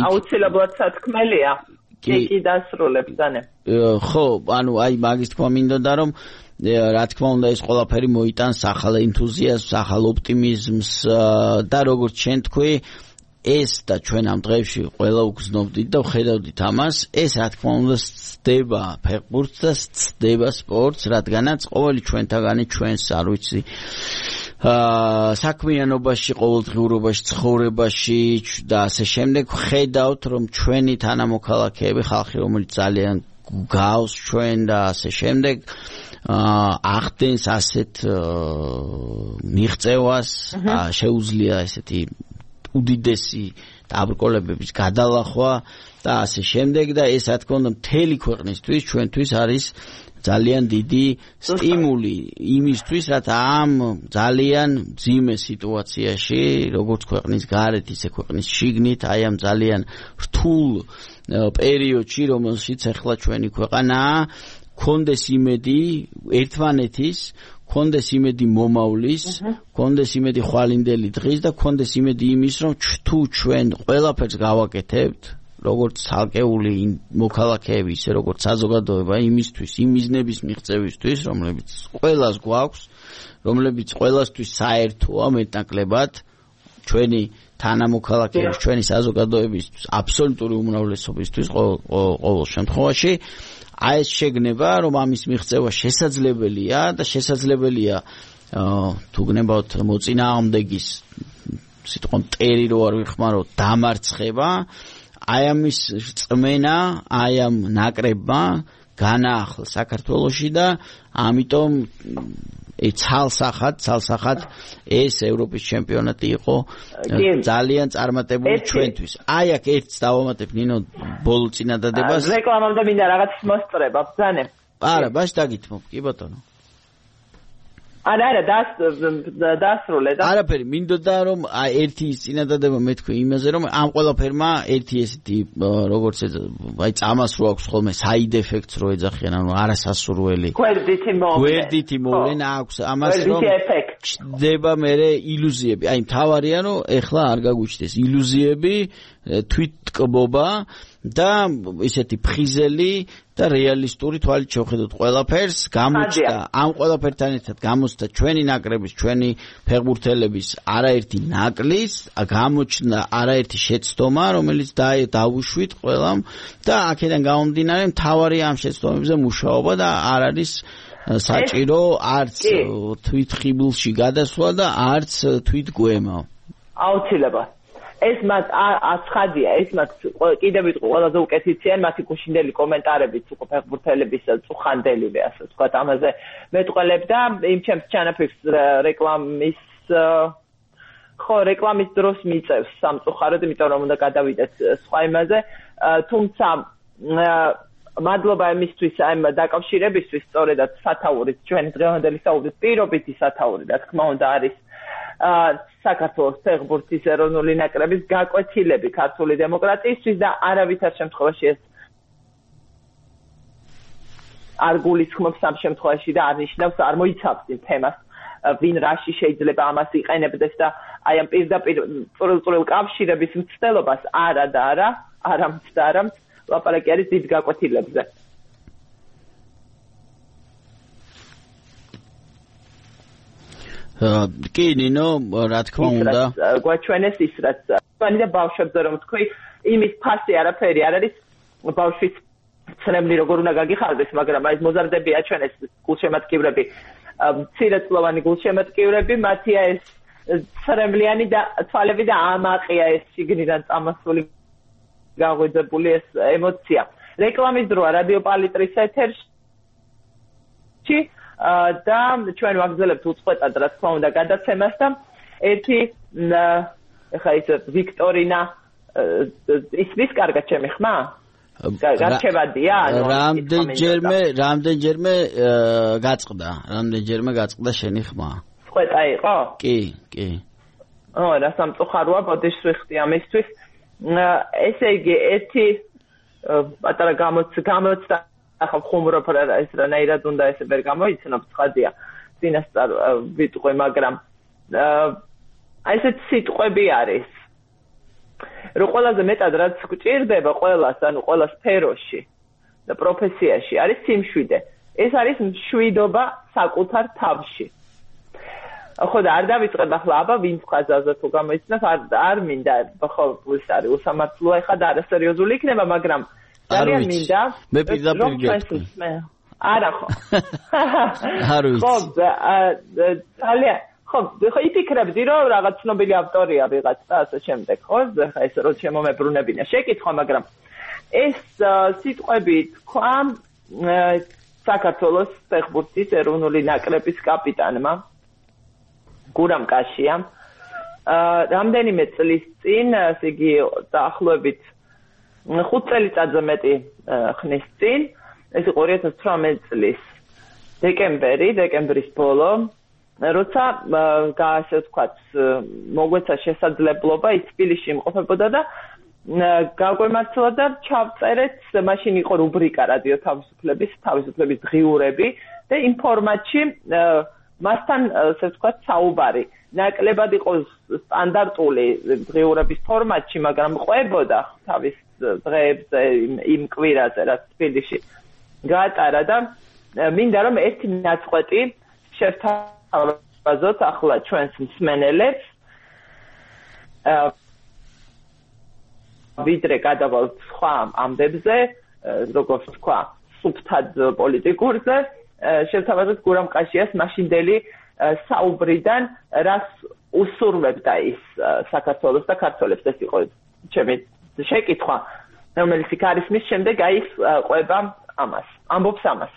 აუცილებლად სათქმელია კი დასრულებს დანე ხო ანუ აი მაგის თქმა მინდოდა რომ რა თქმა უნდა ეს ყველაფერი მოიტანს ახალ ენთუზიაზმს ახალ ოპტიმიზმს და როგორც შენ თქვი ეს და ჩვენ ამ დღეებში ყველა უგზნობდით და ვხედავდით ამას ეს რა თქმა უნდა ცდება ფეხბურთს და ცდება სპორტს რადგანაც ყოველი ჩვენთაგანი ჩვენს არ ვიცი საქმიანობაში ყოველდღიურობაში ცხოვრებაში და ასე შემდეგ ხედავთ რომ ჩვენი თანამოქალაქეები ხალხი რომელიც ძალიან გავს ჩვენ და ასე შემდეგ ახდენს ასეთ მიღწევას შეუძლია ესეთი უდიდესი დაბრკოლებების გადალახვა და ასე შემდეგ და ეს რა თქმა უნდა მთელი ქვეყნისთვის ჩვენთვის არის ძალიან დიდი სტიმული იმისთვის რაც ამ ძალიან მძიმე სიტუაციაში როგორც ქვეყნის გარეთ ისე ქვეყნის შიგნით აი ამ ძალიან რთულ პერიოდში რომელშიც ახლა ჩვენი ქვეყანაა კონდეს იმედი ერთმანეთის კონდეს იმედი მომავლის, კონდეს იმედი ხვალინდელი დღის და კონდეს იმედი იმის, რომ თუ ჩვენ ყველაფერს გავაკეთებთ, როგორც ცალკეული მოქალაქეები, ისე როგორც საზოგადოება იმისთვის, იმ მიზნების მიღწევისთვის, რომლებიც ყველას გვაქვს, რომლებიც ყველასთვის საერთოა მეტნაკლებად, ჩვენი თანამოქალაქეების, ჩვენი საზოგადოებისთვის, აბსოლუტური უმრავლესობისთვის ყოველ შემთხვევაში აი ეს შეგნება რომ ამის მიღწევა შესაძლებელია და შესაძლებელია თუ გნებავთ მოწინააღმდეგის სიტყვა მტერი რო არ ვიხმარო დამარცხება აი ამის წმენა აი ამ ნაკრებმა განაახლა საქართველოში და ამიტომ ცალსახად ეს ევროპის ჩემპიონატი იყო ძალიან წარმატებული ჩვენთვის. აი აქ ერთს დავამატებ ნინო ბოლო წინადადებას. რეკლამამდე მინდა რაღაც მოსწრება, ბრძანე. არა, ბაში დაგითმობ, კი ბატონო. არა, დასრულე და. არაფერი, მინდოდა რომ ერთი წინადადება მეთქვი იმაზე რომ ამ ყველაფერმა ერთი ესეთი როგორც აი წამას რო აქვს ხოლმე side effects რო ეძახიან, ანუ არასასურველი. გვერდითი მოვლენა აქვს ამას რომ ჩდება მერე ილუზიები. აი მთავარია რომ ეხლა არ გაგვიჩნდეს ილუზიები, თვითტკბობა და ისეთი ფხიზელი და რეალისტური თვალით შევხედოთ ყველაფერს, გამოჩნდა ამ ყველაფერთან ერთად გამოჩნდა ჩვენი ნაკრების, ჩვენი ფეხბურთელების არაერთი ნაკლის, გამოჩნდა არაერთი შეცდომა, რომელიც დავუშვით ყველამ და აქედან გამომდინარე მთავარი ამ შეცდომებზე მუშაობა და არ არის საჭირო არც თვით ხიბლში გადასვლა და არც თვით გვემა. აუცილებლად. ეს მათ აცხადია, ეს მათ კიდევ ვიტყვი ყველაზე უკეთესია მათი გუშინდელი კომენტარებიც უკვე ფეხბურთელების წუხანდელივე ასე ვთქვათ ამაზე მეტყველებდა იმ ჩემს ჩანაფიქრს რეკლამის დროს მიწევს სამწუხაროდ, იმიტომ რომ უნდა გადავიდეთ სხვა იმაზე, თუმცა მადლობა იმისთვის ამ დაკავშირებისთვის, სწორედად სათაურის ჩვენი დღევანდელი საუბრის პირობითი სათაური, რა თქმა უნდა არის საქართველოს ფეხბურთის ეროვნული ნაკრების გაკვეთილები ქართული დემოკრატიისთვის და არავითარ შემთხვევაში ეს არ გულისხმობს ამ შემთხვევაში და არ ნიშნავს არ მოიცავს იმ თემას ვინ რაში შეიძლება ამას იყენებდეს და აი ამ პირდაპირ წვრილ კავშირების მცდელობას არა და არა ლაპარაკი არის დიდ გაკვეთილებზე. კი ნინო, რა თქმა უნდა. გვაჩვენეს ის რაც თქვენი და ბავშვებზე რომ თქვი, იმის ფასი არაფერი არ არის ბავშვის ცრემლი როგორ უნდა გაგიხარდეს, მაგრამ აი მოზარდები აჩვენეს გულშემატკივრები, მცირეწლოვანი გულშემატკივრები, მათია ეს ცრემლიანი და თვალები და ამაყია ეს შიგნიდან წამასული გაღვიძებული ეს ემოცია. რეკლამის დროა რადიო პალიტრის ეთერში და ჩვენ ვაგრძელებთ უწყვეტად რა თქმა უნდა გადაცემას და ერთი ეხლა ის ვიქტორინა ის კარგად ჩემი ხმა? გარჩევადია? რამდენჯერმე გაწყდა შენი ხმა? წყვეტა იყო? კი. რა სამწუხაროა, ბოდიშს ვიხდი ამისთვის. ესე იგი ერთი პატარა გამოცდა ახლა ხუმრობ რა ეს რანაირად უნდა ესე ვერ გამოიცნო ცხადია წინასწარ ვიტყვი მაგრამ აი ესეთ სიტყვები არის რომ ყველაზე მეტად რაც გვჭირდება ყველას ანუ ყველა სფეროში და პროფესიაში არის სიმშვიდე ეს არის მშვიდობა საკუთარ თავში ხო და არ დავიწყებ ახლა აბა ვინც ხაზაზე თუ გამოიცნოს არ მინდა ხო ის არის უსამართლოა ხა და არასერიოზული იქნება მაგრამ ძალიან მინდა მე პირდაპირ გეტყვი არა ხო არ ვიცი ხო ძალიან ხო იფიქრებდი რომ რაღაც ცნობილი ავტორია ვიღაც და ასე შემდეგ ხო ხა ეს რო შემომებრუნებინა შეკითხვა მაგრამ ეს სიტყვები თქვა საქართველოს ფეხბურთის ეროვნული ნაკრების კაპიტანმა გურამ კაშიამ რამდენიმე წლის წინ ესე იგი დაახლოებით 5 წელიწადზე მეტი ხნის წინ ეს იყო 2018 წლის დეკემბრის ბოლო როცა ასე ვთქვათ მოგვეცა შესაძლებლობა ის თბილისში იმყოფებოდა და გაგვემართლა და ჩავწერეთ მაშინ იყო რუბრიკა რადიო თავისუფლების დღიურები და იმ ფორმატში მასთან ასე ვთქვათ საუბარი ნაკლებად იყო სტანდარტული დღიურების ფორმატში მაგრამ ყვებოდა თავის დღეებზე იმ კვირაზე რაც თბილისში გაატარა და მინდა რომ ერთი ნაწყვეტი შევთავაზოთ ახლა ჩვენს მსმენელებს ვიდრე გადავალთ სხვა ამბებზე როგორც თქვა სუფთად პოლიტიკურზე შევთავაზოთ გურამ კაშიას მაშინდელი საუბრიდან რას უსურვებდა ის საქართველოს და ქართველებს ეს იყო ჩემი შეკითხვა რომელიც იქ არის მის შემდეგ აი ის ყვება ამას ამბობს ამას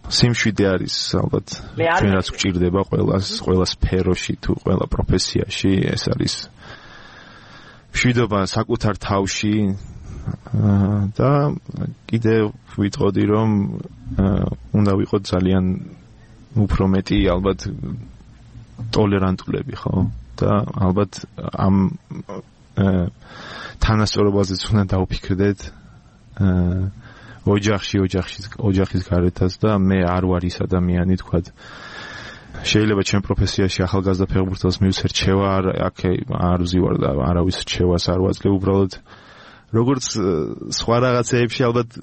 სიმშვიდე არის ალბათ ჩვენ რაც გვჭირდება ყველა სფეროში თუ ყველა პროფესიაში ეს არის მშვიდობა საკუთარ თავში და კიდევ ვიტყოდი რომ უნდა ვიყოთ ძალიან უფრო მეტი ალბათ ტოლერანტულები ხო და ალბათ ამ თანასწორობაზეც უნდა დავფიქრდეთ ოჯახის გარეთაც და მე არ ვარ ის ადამიანი თქვა შეიძლება ჩემ პროფესიაში ახალგაზრდა ფეხბურთელს მივცერ რჩევა არ ვზივარ და არავის რჩევას არ ვაძლევ უბრალოდ როგორც სხვა რაღაცეებში ალბათ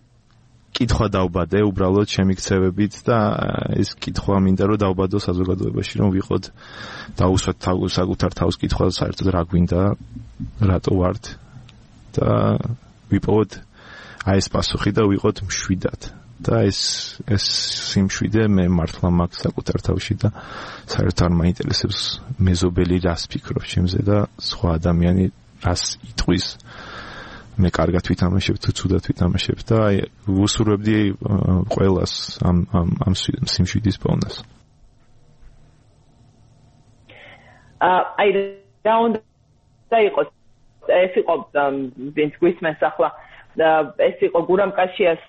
კითხვა დავბადე უბრალოდ ჩემი ქცევებით და ეს კითხვა მინდა რომ დავბადო საზოგადოებაში რომ ვიყოთ დაუსვათ საკუთარ თავს კითხვა საერთოდ რა გვინდა რატო ვართ და ვიპოვოთ აი ეს პასუხი და ვიყოთ მშვიდად. და ეს სიმშვიდე მე მართლა მაქვს საკუთარ თავში და საერთოდ არ მაინტერესებს მეზობელი რას ფიქრობს ჩემზე და სხვა ადამიანი რას იტყვის. მე კარგად ვითამაშებ თუ ცუდად ვითამაშებ და აი ვუსურვებდი ყველას ამ სიმშვიდის პოვნას. აი რა უნდა იყოს ეს იყო ვინც გვისმენს ახლა ეს იყო გურამ კაშიას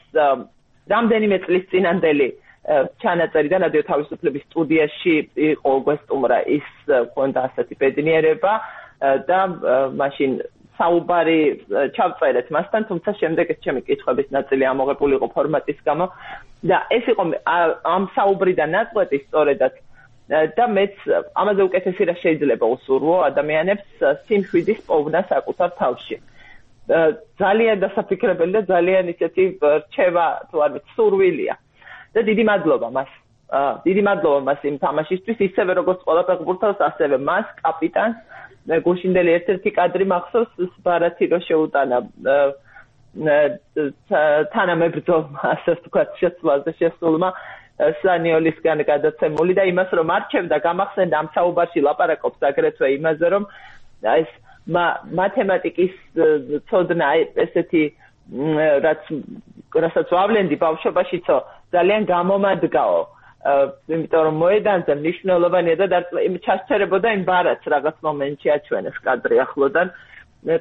რამდენიმე წლის წინანდელი ჩანაწერი და რადიო თავისუფლების სტუდიაში იყო გვესტუმრა ის ქონდა ასეთი ბედნიერება და მაშინ საუბარი ჩავწერეთ მასთან, თუმცა შემდეგ ეს ჩემი კითხვების ნაწილი ამოღებული იყო ფორმატის გამო და ეს იყო ამ საუბრიდან ნაწყვეტი სწორედაც და მეც ამაზე უკეთესი რა შეიძლება უსურვო ადამიანებს სიმშვიდის პოვნა საკუთარ თავში. ძალიან დასაფიქრებელი და ძალიან ისეთი რჩევა თუ არ ვიცი სურვილია და დიდი მადლობა მას. დიდი მადლობა მას იმ თამაშისთვის ისევე როგორც ყველა ფეხბურთელს ასევე მას კაპიტანს გუშინდელი ერთ-ერთი კადრი მახსოვს ბარათი რო შეუტანა თანამებრძოლმა ასე ვთქვათ შეცვლაზე შესულმა სანიოლისგან გადაცემული და იმას რომ არჩევდა გამახსენდა ამ საუბარში ლაპარაკობს აგრეთვე იმაზე რომ ეს მათემატიკის ცოდნა ესეთი რასაც ვავლენდი ბავშვობაშიცო ძალიან გამომადგაო იმიტომ რომ მოედანზე მნიშვნელოვანია და ჩასწერებოდა იმ ბარათს რაღაც მომენტში აჩვენეს კადრი ახლოდან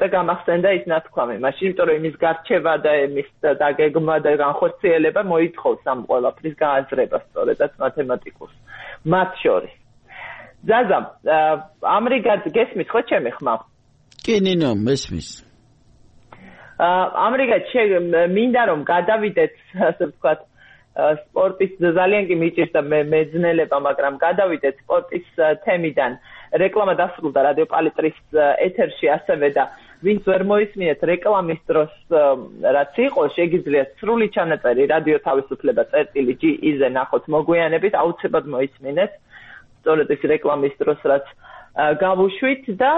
და გამახსენდა ის ნათქვამი მაშინ იმიტომ რომ იმის გარჩევა და იმის დაგეგმა და განხორციელება მოითხოვს ამ ყველაფრის გააზრება სწორედაც მათემატიკურს მათ შორის ზაზა ამრიგად გესმის ხო ჩემი ხმა კი ნინო მესმის ამრიგად მინდა რომ გადავიდეთ ასე ვთქვათ სპორტის ძალიან კი მიჭირდა მეძნელება, მაგრამ გადავიდეთ სპორტის თემიდან. რეკლამა დასრულდა რადიო პალიტრის ეთერში ასევე და ვინც ვერ მოისმინეთ რეკლამის დროს რაც იყო, შეგიძლიათ სრული ჩანაწერი რადიო თავისუფლება წერტილი.ge-ზე ნახოთ მოგვიანებით, აუცილებლად მოისმინეთ. სწორედ ეს რეკლამის დროს რაც გავუშვით და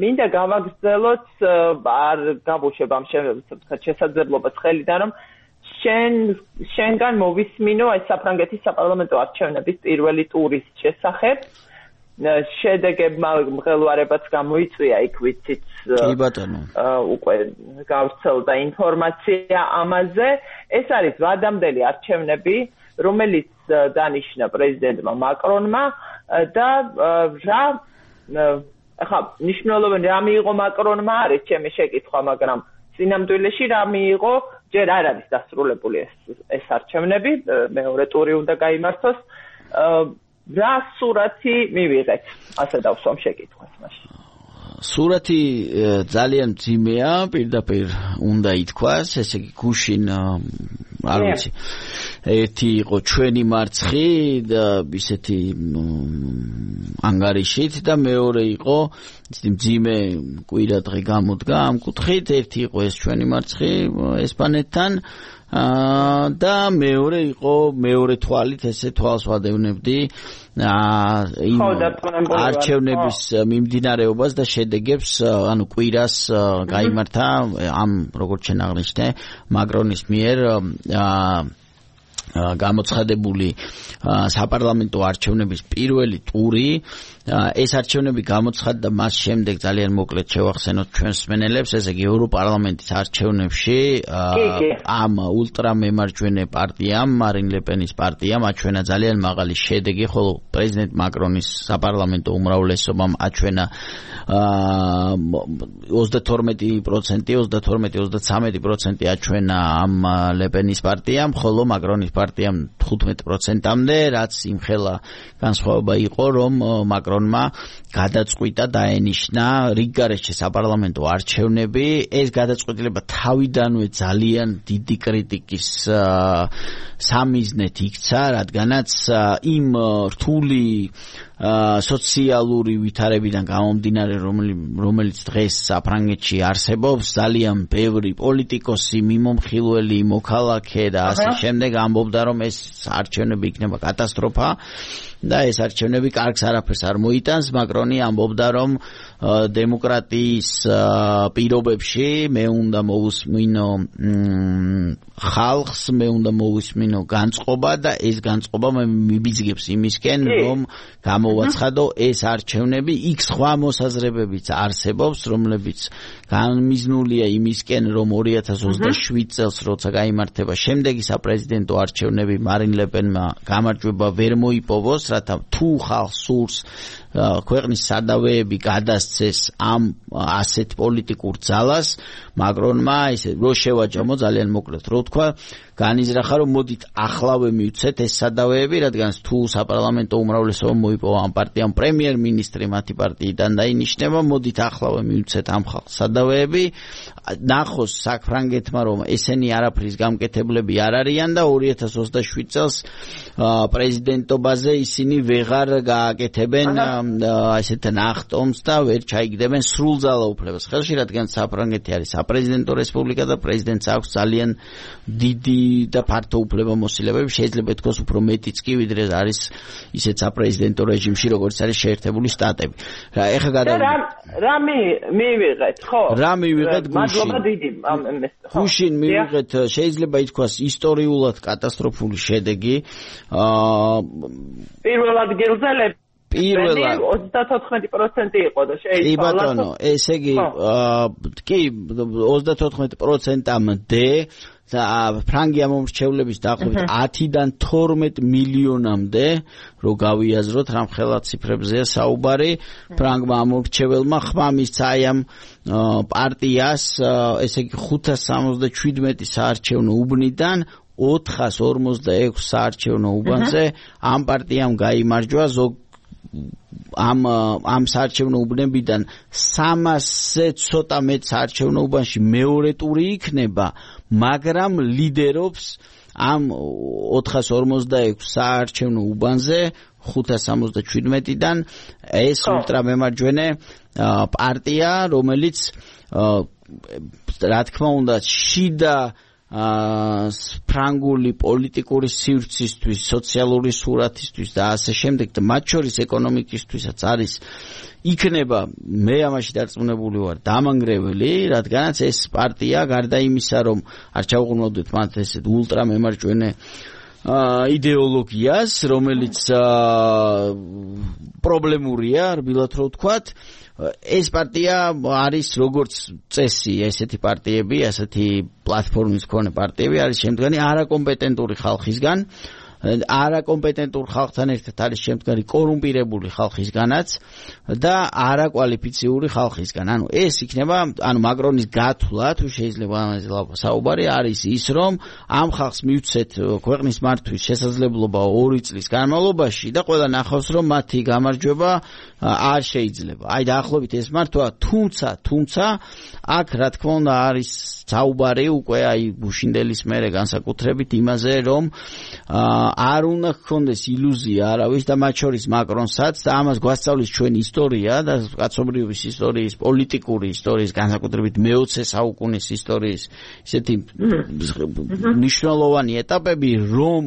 მინდა გავაგრძელოთ არ გავუშვებ ამ შესაძლებლობას ხელიდან რომ შენგან მოვისმინო ეს საფრანგეთის საპარლამენტო არჩევნების პირველი ტურის შესახებ. შედეგებმა მღელვარებაც გამოიწვია იქ ვიცით. კი ბატონო. უკვე გავრცელდა ინფორმაცია ამაზე. ეს არის ვადამდელი არჩევნები, რომელიც დანიშნა პრეზიდენტმა მაკრონმა და ახლა მნიშვნელოვანი რა მიიღო მაკრონმა არის ჩემი შეკითხვა, მაგრამ სინამდვილეში რა მიიღო ჯერ არ არის დასრულებული ეს არჩევნები, მეორე ტური უნდა გაიმართოს. რა სურათი მივიღეთ? ასე დავსვამ შეკითხვას მაშინ. სურათი ძალიან მძიმეა, პირდაპირ უნდა ითქვას, ესე იგი გუშინ არ ვიცი. ერთი იყო ჩვენი მარცხი და ისეთი ანგარიშით და მეორე იყო ისეთი მძიმე კვირადღე გამოდგა ამ კუთხით, ერთი იყო ეს ჩვენი მარცხი ესპანეთთან და მეორე იყო მეორე თვალით ესე თვალს ვადევნებდი იმ არჩევნების მიმდინარეობას და შედეგებს ანუ კვირას გაიმართა ამ როგორც შენ აღნიშნე მაკრონის მიერ გამოცხადებული საპარლამენტო არჩევნების პირველი ტური ეს არჩევნები გამოცხადდა მას შემდეგ ძალიან მოკლედ შევახსენოთ ჩვენს მსმენელებს ესე იგი ევროპარლამენტის არჩევნებში ამ ულტრამემარჯვენე პარტიამ მარინ ლეპენის პარტიამ აჩვენა ძალიან მაღალი შედეგი ხოლო პრეზიდენტ მაკრონის საპარლამენტო უმრავლესობამ აჩვენა 32% აჩვენა ამ ლეპენის პარტიამ ხოლო მაკრონის პარტიამ 15%-ამდე რაც იმხელა განსხვავება იყო რომ მაკრონმა გადაწყვიტა დაენიშნა რიგგარეშე საპარლამენტო არჩევნები ეს გადაწყვეტილება თავიდანვე ძალიან დიდი კრიტიკის სამიზნეთ იქცა რადგანაც იმ რთული სოციალური ვითარებიდან გამომდინარე რომელიც დღეს საფრანგეთში არსებობს ძალიან ბევრი პოლიტიკოსი მიმომხილველი მოქალაქე და ასე შემდეგ ამბობდა რომ ეს არჩევნები იქნება კატასტროფა და ეს არჩევნები კარგს არაფერს არ მოიტანს. მაკრონი ამბობდა, რომ დემოკრატიის პირობებში მე უნდა მოვუსმინო ხალხს, მე უნდა მოვუსმინო განწყობა და ეს განწყობა მე მიბიძგებს იმისკენ, რომ გამოვაცხადო ეს არჩევნები იქ სხვა მოსაზრებებიც არსებობს, რომლებიც განმიზნულია იმისკენ, რომ 2027 წელს როცა გაიმართება შემდეგი საპრეზიდენტო არჩევნები მარინ ლე პენმა გამარჯვება ვერ მოიპოვოს, რათა თუ ხალხს სურს ქვეყნის სადავეები გადასცეს ამ ასეთ პოლიტიკურ ძალას, მაკრონმა ისე რო შევაჯამო ძალიან მოკლედ რო თქვა, განიზრახა რომ მოდით ახლავე მივცეთ ეს სადავეები, რადგან თუ საპარლამენტო უმრავლესობა მოიპოვა ამ პარტიამ პრემიერ-მინისტრი მათი პარტიიდან დაინიშნება, მოდით ახლავე მივცეთ ამ ხალხს სადავეები, ნახოს საფრანგეთმა რომ ესენი არაფრის გამკეთებლები არ არიან და 2027 წელს პრეზიდენტობაზე ისინი ვეღარ გააკეთებენ ასეთ ნახტომს და ვერ ჩაიგდებენ სრულ ძალაუფლებას ხელში, რადგან საფრანგეთი არის საპრეზიდენტო რესპუბლიკა და პრეზიდენტს აქვს ძალიან დიდი და ფართო უფლებამოსილებები, შეიძლება ითქვას უფრო მეტიც კი ვიდრე არის ისეთ საპრეზიდენტო რეჟიმში, როგორც არის შეერთებული შტატები. ეხლა რა მივიღეთ, ხო? რა მივიღეთ გუშინ მივიღეთ, შეიძლება ითქვას ისტორიულად კატასტროფული შედეგი. პირველ ადგილზე 34% იყო და შეიძლება. კი ბატონო, ესე იგი კი 34%-მდე ფრანგი ამომრჩევლების დაახლოებით 10-დან 12 მილიონამდე რო გავიაზროთ, რამხელა ციფრებზეა საუბარი, ფრანგმა ამომრჩეველმა ხმამისცა აი ამ პარტიას, ესე იგი 577 საარჩევნო უბნიდან 446 საარჩევნო უბანზე ამ პარტიამ გაიმარჯვა ამ საარჩევნო უბნებიდან 300-ზე ცოტა მეტ საარჩევნო უბანში მეორე ტური იქნება, მაგრამ ლიდერობს ამ 446 საარჩევნო უბანზე 577-დან ეს ულტრამემარჯვენე პარტია, რომელიც რა თქმა უნდა შიდა ფრანგული პოლიტიკური სივრცისთვის, სოციალური სურათისთვის და ასე შემდეგ და მათ შორის ეკონომიკისთვისაც არის იქნება, მე ამაში დარწმუნებული ვარ, დამანგრეველი, რადგანაც ეს პარტია გარდა იმისა, რომ არ ჩავუყრმავდეთ მათ ესეთ ულტრამემარჯვენე იდეოლოგიას, რომელიც პრობლემურია, რბილად რო ვთქვათ, ეს პარტია არის როგორც წესი, ესეთი პარტიები, ასეთი პლატფორმის მქონე პარტიები არის შემდგარი არაკომპეტენტური ხალხისგან, არაკომპეტენტურ ხალხთან ერთად არის შემდგარი კორუმპირებული ხალხისგანაც და არაკვალიფიციური ხალხისგან. ანუ ეს იქნება, ანუ მაკრონის გათვლა, თუ შეიძლება ამაზე საუბარი არის ის, რომ ამ ხალხს მივცეთ ქვეყნის მართვის შესაძლებლობა 2 წლის განმავლობაში და ყველა ნახავს, რომ მათი გამარჯვება არ შეიძლება. აი დაახლოებით ეს მართვა, თუმცა აქ რა თქმა უნდა არის საუბარი უკვე აი გუშინდელის მერე განსაკუთრებით იმაზე, რომ არ უნდა გქონდეს ილუზია არავის და მათ შორის მაკრონსაც და ამას გვასწავლის ჩვენი ისტორია და კაცობრიობის ისტორიის, პოლიტიკური ისტორიის, განსაკუთრებით მე-20 საუკუნის ისტორიის ისეთი მნიშვნელოვანი ეტაპები, რომ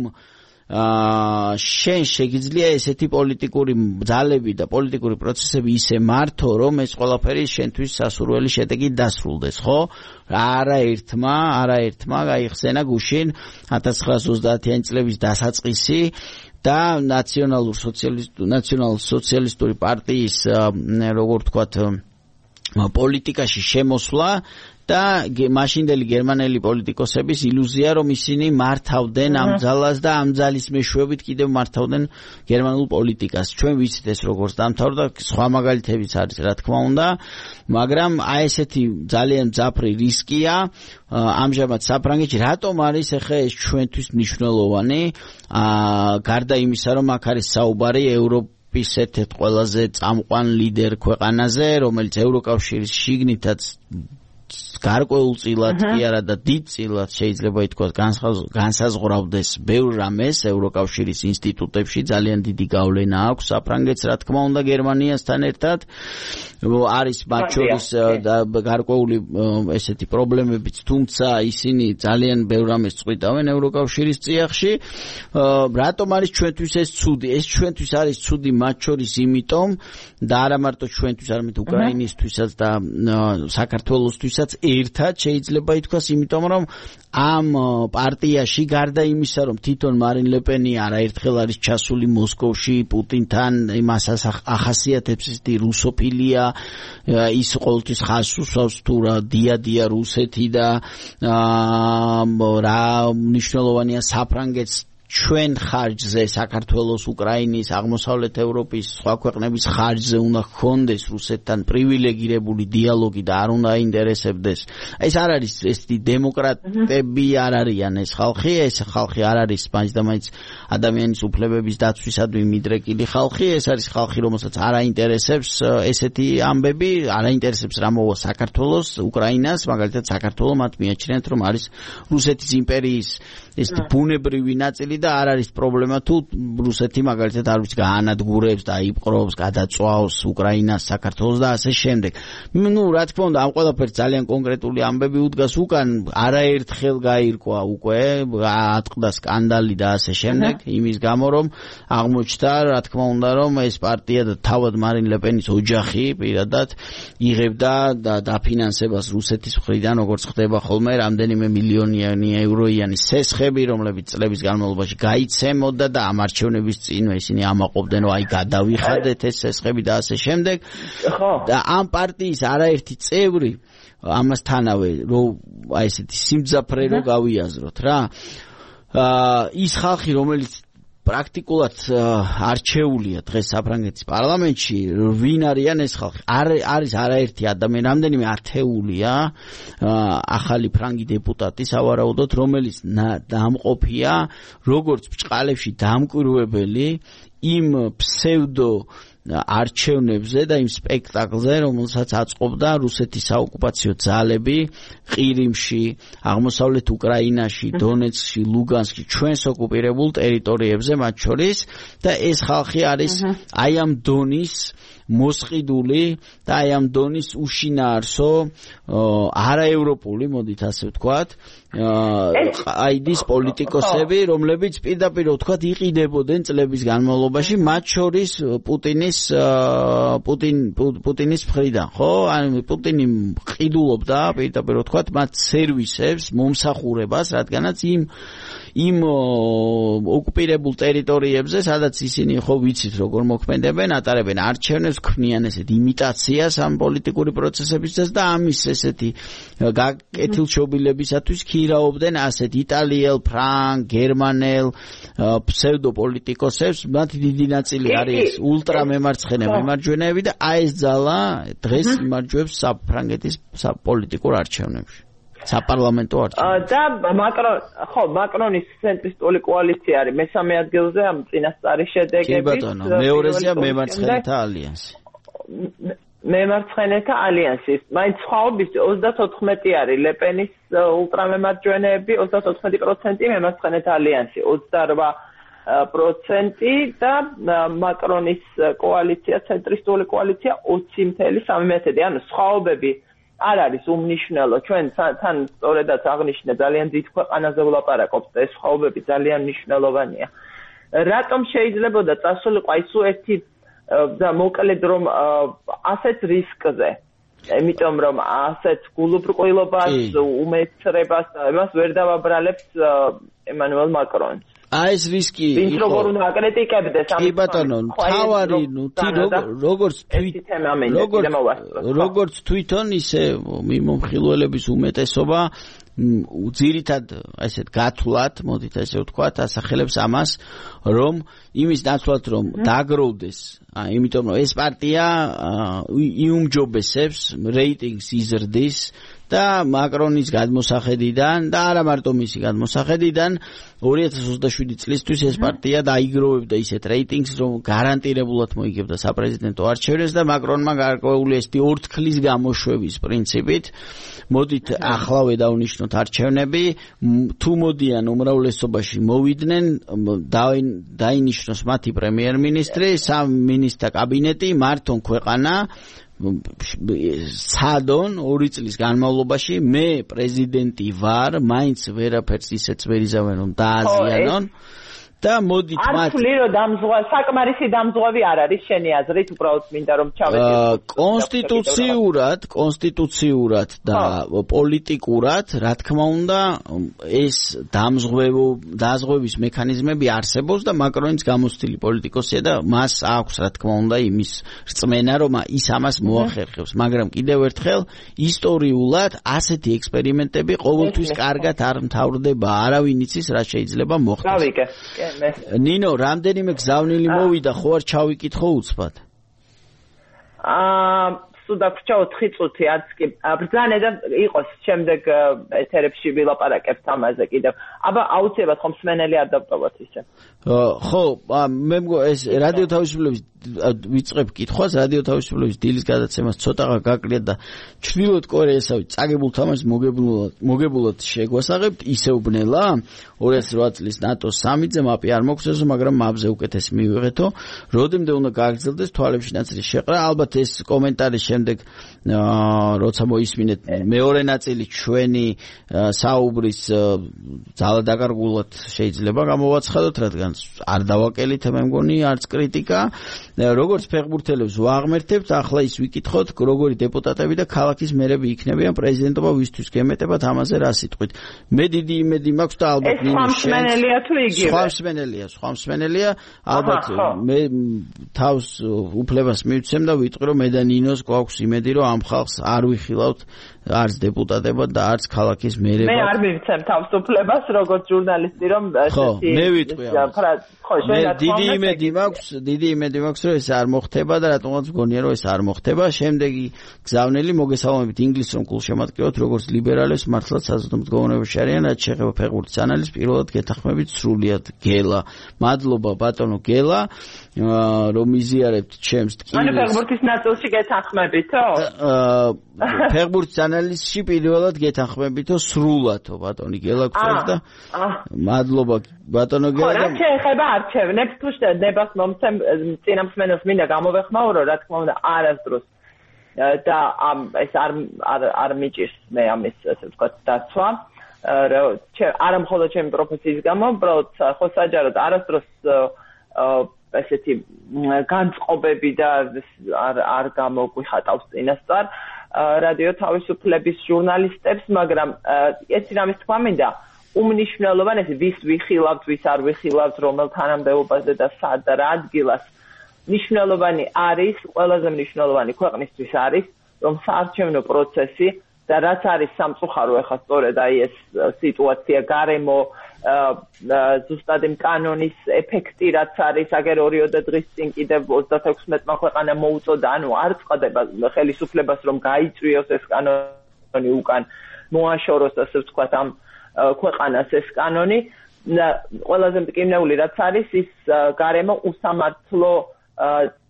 შენ შეგიძლია ესეთი პოლიტიკური ძალები და პოლიტიკური პროცესები ისე მართო, რომ ეს ყველაფერი შენთვის სასურველი შედეგი დასრულდეს, ხო? არაერთმა გაიხსენა გუშინ 1930-იანი წლების დასაწყისი და ნაციონალ-სოციალისტური პარტიის, როგორ ვთქვათ, პოლიტიკაში შემოსვლა და მაშინდელი გერმანელი პოლიტიკოსების ილუზია, რომ ისინი მართავდნენ ამ ძალას და ამ ძალის მეშვეობით კიდევ მართავდნენ გერმანულ პოლიტიკას. ჩვენ ვიცით ეს როგორც დამთავრდა, სხვა მაგალითებიც არის, რა თქმა უნდა, მაგრამ აი ესეთი ძალიან მძაფრი რისკია ამჟამად საფრანგეთში. რატომ არის ახლა ეს ჩვენთვის მნიშვნელოვანი? გარდა იმისა, რომ აქ არის საუბარი ევროპის ერთ-ერთ ყველაზე წამყვან ლიდერ ქვეყანაზე, რომელიც ევროკავშირის შიგნითაც გარკვეულწილად კი არა და დიდწილად შეიძლება ითქვას განსაზღვრავდეს ბევრ რამეს ევროკავშირის ინსტიტუტებში ძალიან დიდი გავლენა აქვს საფრანგეთს რა თქმა უნდა გერმანიასთან ერთად არის მათ შორის გარკვეული ესეთი პრობლემებიც თუმცა ისინი ძალიან ბევრ რამეს წყვიტავენ ევროკავშირის წიაღში რატომ არის ჩვენთვის ეს ცუდი ეს ჩვენთვის არის ცუდი მათ შორის იმიტომ და არა მარტო ჩვენთვის არამედ უკრაინისთვისაც და საქართველოსთვისაც ერთად შეიძლება ითქვას იმიტომ რომ ამ პარტიაში გარდა იმისა რომ თვითონ მარინ ლეპენი არაერთხელ არის ჩასული მოსკოვში პუტინთან იმას ახასიათებს ის რუსოფილია ის ყოველთვის ხაზს უსვავს თუ რა დიადია რუსეთი და რა მნიშვნელოვანია საფრანგეთს ჩვენ ხარჯზე საქართველოს, უკრაინის, აღმოსავლეთ ევროპის, სხვა ქვეყნების ხარჯზე უნდა ჰქონდეს რუსეთთან პრივილეგირებული დიალოგი და არ უნდა აინტერესებდეს. ეს არ არის ეს დემოკრატები არ არიან ეს ხალხი არ არის მაინც ადამიანის უფლებების დაცვისადმი მიდრეკილი ხალხი, ეს არის ხალხი, რომელსაც არ აინტერესებს ესეთი ამბები, არ აინტერესებს რა მოვა საქართველოს, უკრაინას, მაგალითად საქართველოს მათ მიაჩნიათ რომ არის რუსეთის იმპერიის ეს ბუნებრივი ნაწილი და არ არის პრობლემა თუ რუსეთი მაგალითად არ ვიცი გაანადგურებს და იპყრობს, გადაწვავს უკრაინას, საქართველოს და ასე შემდეგ. ნუ რა თქმა უნდა ამ ყველაფერს ძალიან კონკრეტული ამბები უდგას უკან, არაერთხელ გაირკვა უკვე, ატყდა სკანდალი და ასე შემდეგ, იმის გამო რომ აღმოჩნდა რა თქმა უნდა რომ ეს პარტია და თავად მარინ ლეპენის ოჯახი პირადად იღებდა და დაფინანსებას რუსეთის მხრიდან როგორც ხდება ხოლმე რამდენიმე მილიონიანი ევროიანი სესხები რომლებიც წლების განმავლობაში გაიცემოდა და ამ არჩევნების წინვე ისინი ამაყობდნენ რომ აი გადავიხადეთ ეს სესხები და ასე შემდეგ და ამ პარტიის არაერთი წევრი ამასთანავე რომ აი ესეთი სიმძაფრე რო გავიაზროთ რა ის ხალხი რომელიც პრაქტიკულად არჩეულია დღეს საფრანგეთის პარლამენტში ვინ არიან ეს ხალხი არის არაერთი ადამიანი რამდენიმე ათეულია ახალი ფრანგი დეპუტატი სავარაუდოდ რომელიც დამყოფია როგორც ბჭყალებში დამკვირვებელი იმ ფსევდო არჩევნებზე და იმ სპექტაკლზე, რომელსაც აწყობდა რუსეთის საოკუპაციო ძალები ყირიმში, აღმოსავლეთ უკრაინაში, დონეცკში, ლუგანსკში, ჩვენს ოკუპირებულ ტერიტორიებზე მათ შორის და ეს ხალხი არის აი ამ დონის მოსყიდული და აი ამ დონის უშინაარსო არაევროპული, მოდით ასე ვთქვათ, აიდის პოლიტიკოსები, რომლებიც პირდაპირ ვთქვათ იყიდებოდნენ წლების განმავლობაში, მათ შორის პუტინის მხრიდან, ხო? ანუ პუტინი ყიდულობდა პირდაპირ ვთქვათ მათ სერვისებს, მომსახურებას, რადგანაც იმ ოკუპირებულ ტერიტორიებზე, სადაც ისინი ხო ვიცით როგორ მოქმედებენ, ატარებენ არჩევნებს, ქმნიან ესეთ იმიტაციას ამ პოლიტიკური პროცესებისას და ამის ესეთი გაკეთილშობილებისათვის ქირაობდნენ ასეთ იტალიელ, ფრანგ, გერმანელ ფსევდოპოლიტიკოსებს, მათი დიდი ნაწილი არის ულტრამემარცხენე მემარჯვენეები და აი ეს ძალა დღეს იმარჯვებს საფრანგეთის პოლიტიკურ არჩევნებში. საპარლამენტო არჩევნებში. და მაკრონის ცენტრისტული კოალიცია არის მესამე ადგილზე ამ წინასწარი შედეგებით. კი ბატონო, მეორეზეა მემარცხენეთა ალიანსი. მემარცხენეთა ალიანსის. მაინც სხვაობის 34 არის ლეპენის ულტრამემარჯვენეები, 34% მემარცხენეთა ალიანსი, 28% და მაკრონის კოალიცია, ცენტრისტული კოალიცია 20.3%. ანუ სხვაობები არ არის უმნიშვნელო. ჩვენ თან სწორედაც აღნიშნე ძალიან დიდ ქვეყანაზე ვლაპარაკობთ და ეს სხვაობები ძალიან მნიშვნელოვანია. რატომ შეიძლებოდა წასულიყო ის ერთი და მოკლედ რომ ასეთ რისკზე, იმიტომ რომ ასეთ გულუბრყვილობას, უმეცრებას იმას ვერ დავაბრალებს ემანუელ მაკრონს. აი ეს რისკი ის როგორ უნდა აკრიტიკებდეს ამ ბატონო თავარი როგორც თვითონ ისე მიმომხილველების უმეტესობა ძირითად ესეთ გათვლათ, მოდით ესე ვთქვათ, ასახელებს ამას, რომ იმის ნაცვლად რომ დაგროვდეს, იმიტომ რომ ეს პარტია იუმჯობესებს რეიტინგს იზრდის და მაკრონის გადმოსახედიდან და არა მარტო მისი გადმოსახედიდან 2027 წლისთვის ეს პარტია დაიგროვებდა ისეთ რეიტინგს, რომ გარანტირებულად მოიგებდა საპრეზიდენტო არჩევნებს და მაკრონმა გარკვეული ესეთი ორთქლის გამოშვების პრინციპით მოდით ახლავე დავნიშნოთ არჩევნები, თუ მოდიან უმრავლესობაში მოვიდნენ, დაინიშნოს მათი პრემიერ-მინისტრი, 3 მინისტრთა კაბინეტი, მართონ ქვეყანა სადონ 2 წლის განმავლობაში მე პრეზიდენტი ვარ, მაინც ვერაფერს ისეც ვერ იზავენ რომ დააზიანონ და მოდით მათ საკმარისი დამზღვევი არ არის შენი აზრით, უბრალოდ მინდა რომ ჩავედით კონსტიტუციურად და პოლიტიკურად, რა თქმა უნდა, ეს დაზღვევის მექანიზმები არსებობს და მაკრონის გამოცდილი პოლიტიკოსია და მას აქვს, რა თქმა უნდა, იმის რწმენა, რომ ის ამას მოახერხებს, მაგრამ კიდევ ერთხელ ისტორიულად ასეთი ექსპერიმენტები ყოველთვის კარგად არ მთავრდება, არავინ იცის რა შეიძლება მოხდეს. გავიგე. ნინო, რამდენიმე გზავნილი მოვიდა, ხო არ ჩავიკითხო უცბად? სუდაგრჩა 4 წუთი, არც კი ბრძანა და იყოს შემდეგ ეთერებში ვილაპარაკებთ ამაზე კიდევ. აბა აუცილებლად ხომ მსმენელი არ დავტოვოთ ისე. ხო, მე ეს რადიო თავისუფლების ვიწყებ კითხვას, რადიო თავისუფლების დილის გადაცემას ცოტაღა გაკლიათ და ჩრდილოეთ კორეასავით წაგებულ თამაშს მოგებულად შეგვასაღებთ, ისევ ბნელა 2008 წლის ნატოს სამიტზე მაპი არ მოგცესო, მაგრამ მაპზე უკეთესი მივიღეთო, როდემდე უნდა გააგრძელდეს თვალებში ნაცრის შეყრა, ალბათ ეს კომენტარი შემდეგ როცა მოისმინეთ მეორე ნაწილი ჩვენი საუბრის ძალადაკარგულად შეიძლება გამოვაცხადოთ, რადგან არ დავაკელით, მე მგონი არც კრიტიკა. როგორც ფეხბურთელებს ვაღმერთებთ, ახლა ის ვიკითხოთ, როგორი დეპუტატები და ქალაქის მერები იქნებიან პრეზიდენტობა ვისთვის გემეტებათ, ამაზე რა სიტყვით. მე დიდი იმედი მაქვს და ალბათ სხვა მსმენელია თუ იგივე? სხვა მსმენელია, ალბათ მე თავს უფლებას მივცემ და ვიტყვი, რომ მე და ნინოს გვაქვს იმედი, რომ ამ ხალხს არ ვიხილავთ არც დეპუტატებად და არც ქალაქის მერებად. მე არ მივცემ თავს უფლებას, როგორც ჟურნალისტი, რომ ესეთი მე ვიტყვი ამას. მე დიდი იმედი მაქვს, რომ ეს არ მოხდება და რატომაც მგონია, რომ ეს არ მოხდება. შემდეგი გზავნილი მოგესალმებით ინგლისს რომ გულშემატკივროთ, როგორც ლიბერალებს მართლაც საზოგადოებაში არიან, რაც შეეხება ფეხბურთის ანალიზს, პირველად გეთანხმებით სრულიად გელა. მადლობა ბატონო გელა, რომ იზიარებთ ჩემს ტკივილს. ანუ ფეხბურთის ნაწილში გეთანხმებითო? ფეხბურთის ანალიზში პირველად გეთანხმებითო სრულადო ბატონი გელა გწევს და მადლობა ბატონო გელა. რა შეეხება არჩევნებს, თუ ნებას მომცემ წინამსმენელს მინდა გამოვეხმაურო, რა თქმა უნდა არასდროს და ეს არ მიჭირს მე ამის ასე ვთქვათ დაცვა. არ მხოლოდ ჩემი პროფესიის გამო, უბრალოდ ხო საჯაროდ არასდროს ესეთი განწყობები და არ გამოგვიხატავს წინასწარ რადიო თავისუფლების ჟურნალისტებს, მაგრამ ეს რამის თქვა მინდა, უმნიშვნელოვანეს ვის ვიხილავთ, ვის არ ვიხილავთ, რომელ თანამდებობაზე და სად და რა ადგილას. მნიშვნელოვანი არის, ყველაზე მნიშვნელოვანი ქვეყნისთვის არის, რომ საარჩევნო პროცესი და რაც არის სამწუხარო ახლა სწორედ აი ეს სიტუაცია გარემო ზუსტად იმ კანონის ეფექტი რაც არის, აგერ 2 დღის წინ კიდევ 36-მა ქვეყანამ მოუწოდა, ანუ არ წდება ხელისუფლებას რომ გაიწვიოს ეს კანონი უკან, მოაშოროს ასე ვთქვათ ამ ქვეყანას ეს კანონი. ყველაზე მტკივნეული რაც არის ის გარემო უსამართლო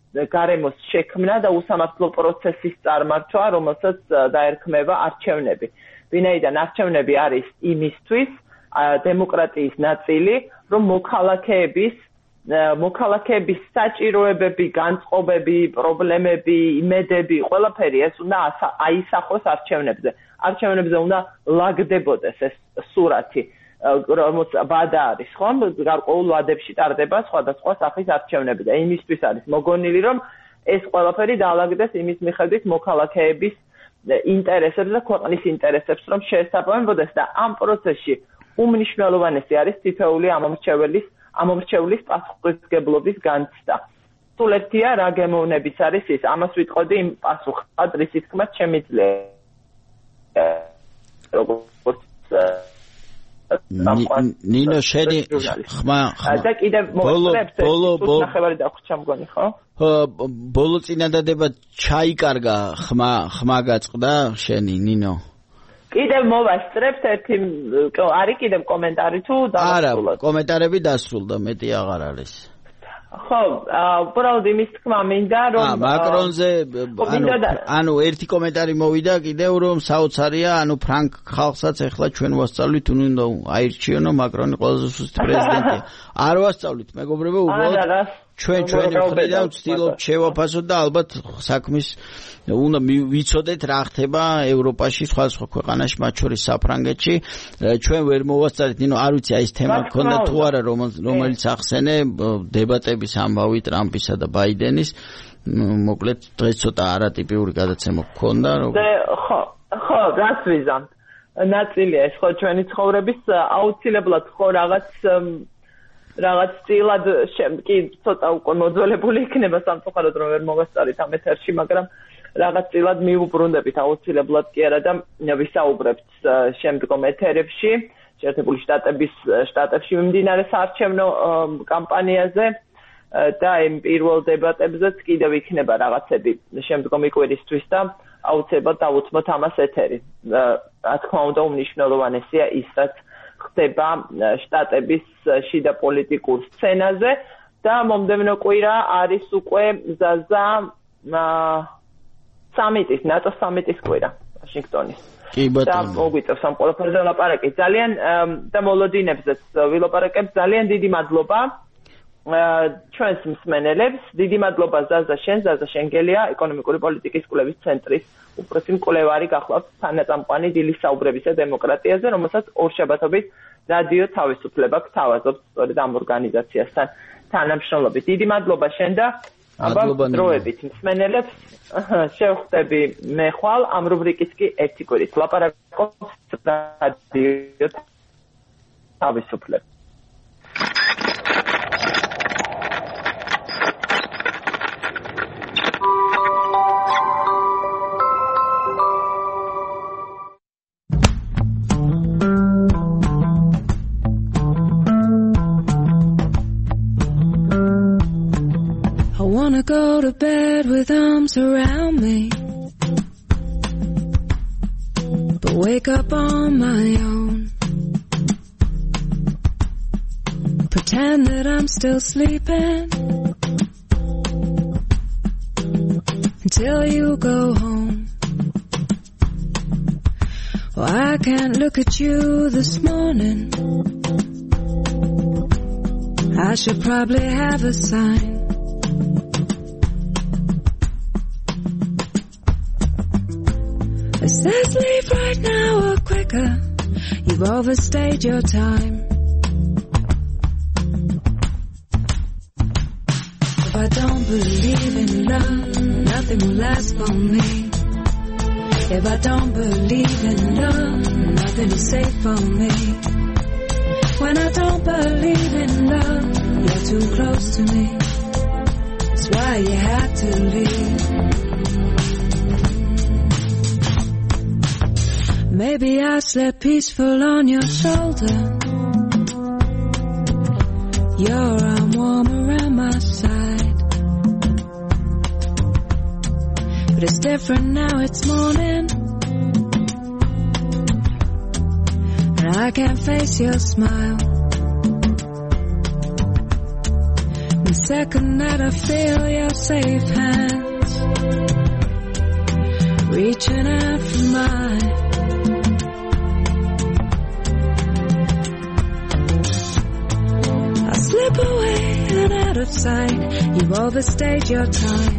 გარემოს შექმნა და უსამართლო პროცესის წარმართვა, რომელსაც დაერქმევა არჩევნები. ვინაიდან არჩევნები არის იმისთვის დემოკრატიის ნაწილი, რომ მოქალაქეების საჭიროებები, განწყობები, პრობლემები, იმედები, ყველაფერი ეს უნდა აისახოს არჩევნებზე. არჩევნებზე უნდა ლაგდებოდეს ეს სურათი, რომელიც ვადა არის, ხომ? გარკვეულ ვადებში ტარდება სხვადასხვა სახის არჩევნები და იმისთვის არის მოგონილი, რომ ეს ყველაფერი დაალაგდეს იმის მიხედვით მოქალაქეების ინტერესებს და ქვეყნის ინტერესებს, რომ შეესაბამებოდეს და ამ პროცესში უმნიშვნელოვანესი არის თითოეული ამომრჩევლის პასუხისმგებლობის განცდა. სულ ერთია რა გემოვნების არის ის, ამას ვიტყოდი იმ პასუხად, რისი თქმა შემიძლია. ნინო შენი ხმა და კიდევ მოხდებს ნახევარი დახვეჭა მგონი, ხო? ბოლო წინადადება ჩაიკარგა ხმა გაწყდა შენი ნინო. კიდევ მოვასწრებთ ერთი არის კიდევ კომენტარი თუ არა, კომენტარები დასრულდა, მეტი აღარ არის. ხო, უბრალოდ იმის თქმა მინდა, რომ მაკრონზე ანუ ერთი კომენტარი მოვიდა კიდევ, რომ საოცარია, ფრანგ ხალხსაც ეხლა ჩვენ ვასწავლით, უნდა აირჩიონო მაკრონი ყველაზე სუსტი პრეზიდენტია. არ ვასწავლით, მეგობრებო, უბრალოდ ჩვენი მხრიდან ვცდილობთ შევაფასოთ და ალბათ საქმის უნდა ვიცოდეთ რა ხდება ევროპაში, სხვადასხვა ქვეყანაში, მათ შორის საფრანგეთში. ჩვენ ვერ მოვასწარეთ, არ ვიცი აი ეს თემა გქონდა თუ არა, რომელიც ახსენე დებატების ამბავი ტრამპისა და ბაიდენის. მოკლედ დღეს ცოტა არატიპიური გადაცემა გქონდა. ხო, რას ვიზამთ? ნაწილია ეს ხო ჩვენი ცხოვრების აუცილებლად ხო რაღაც წილად კი ცოტა უკვე მოძველებული იქნება სამწუხაროდ რომ ვერ მოვასწარით ამ ეთერში, მაგრამ რაღაც წილად მიუბრუნდებით აუცილებლად კი არა და ვისაუბრებთ შემდგომ ეთერებში შეერთებული შტატებში მიმდინარე საარჩევნო კამპანიაზე და იმ პირველ დებატებზეც კიდევ იქნება რაღაცები შემდგომი კვირისთვის და აუცილებლად დავუთმოთ ამას ეთერი. რა თქმა უნდა უმნიშვნელოვანესია ის რაც ხდება შტატების შიდა პოლიტიკურ სცენაზე და მომდევნო კვირა არის უკვე ზაზა სამიტის, ნატოს სამიტის კვირა ვაშინგტონის. კი ბატონო. და მოგვიწევს ამ ყველაფერზე ვლაპარაკეთ. ძალიან და მოლოდინებზეც ვილაპარაკებ. ძალიან დიდი მადლობა ჩვენს მსმენელებს. დიდი მადლობა ზაზა შენგელია, ეკონომიკური პოლიტიკის კვლევის ცენტრის უფროსი მკვლევარი გახლავთ თანაწამყვანი დილის საუბრებისა დემოკრატიაზე, რომელსაც ორშაბათობით რადიო თავისუფლება გთავაზობს სწორედ ამ ორგანიზაციასთან თანამშრომლობით. დიდი მადლობა შენ და დროებით მსმენელებს შევხვდები მე ხვალ ამ რუბრიკის კი ერთი კვირით ლაპარაკობს რადიო თავისუფლება. Go to bed with arms around me, but wake up on my own. Pretend that I'm still sleeping until you go home. Oh, I can't look at you this morning. I should probably have a sign. It says leave right now or quicker, you've overstayed your time. If I don't believe in love, nothing will last for me. If I don't believe in love, nothing is safe for me. When I don't believe in love, you're too close to me. That's why you had to leave. Maybe I slept peaceful on your shoulder, your arm warm around my side. But it's different now, it's morning, and I can't face your smile. The second that I feel your safe hands reaching out for mine, slip away and out of sight. You've overstayed your time.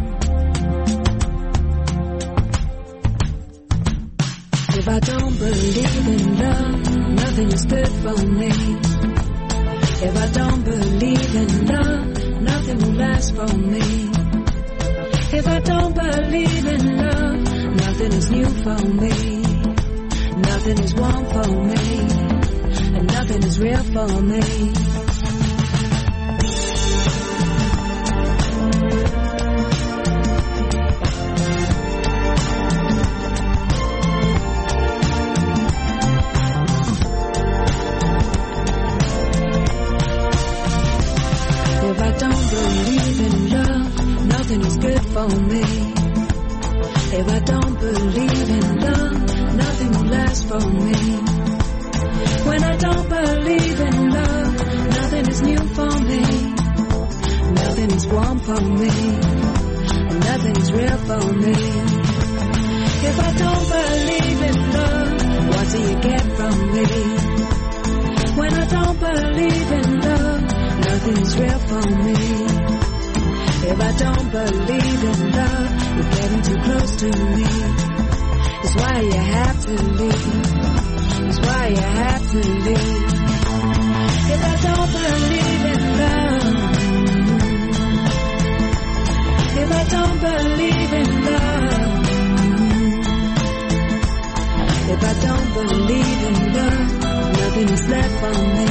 If I don't believe in love, nothing is good for me. If I don't believe in love, nothing will last for me. If I don't believe in love, nothing is new for me. Nothing is warm for me, and nothing is real for me. Nothing is good for me. If I don't believe in love, nothing will last for me. When I don't believe in love, nothing is new for me. Nothing is warm for me. And nothing is real for me. If I don't believe in love, what do you get from me? When I don't believe in love, nothing is real for me. If I don't believe in love, you're getting too close to me. It's why you have to leave. It's why you have to leave. If I don't believe in love, if I don't believe in love, if I don't believe in love, nothing is left for me.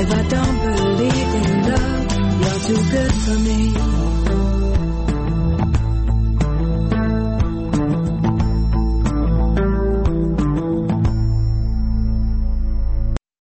If I don't believe in love, you're too good for me.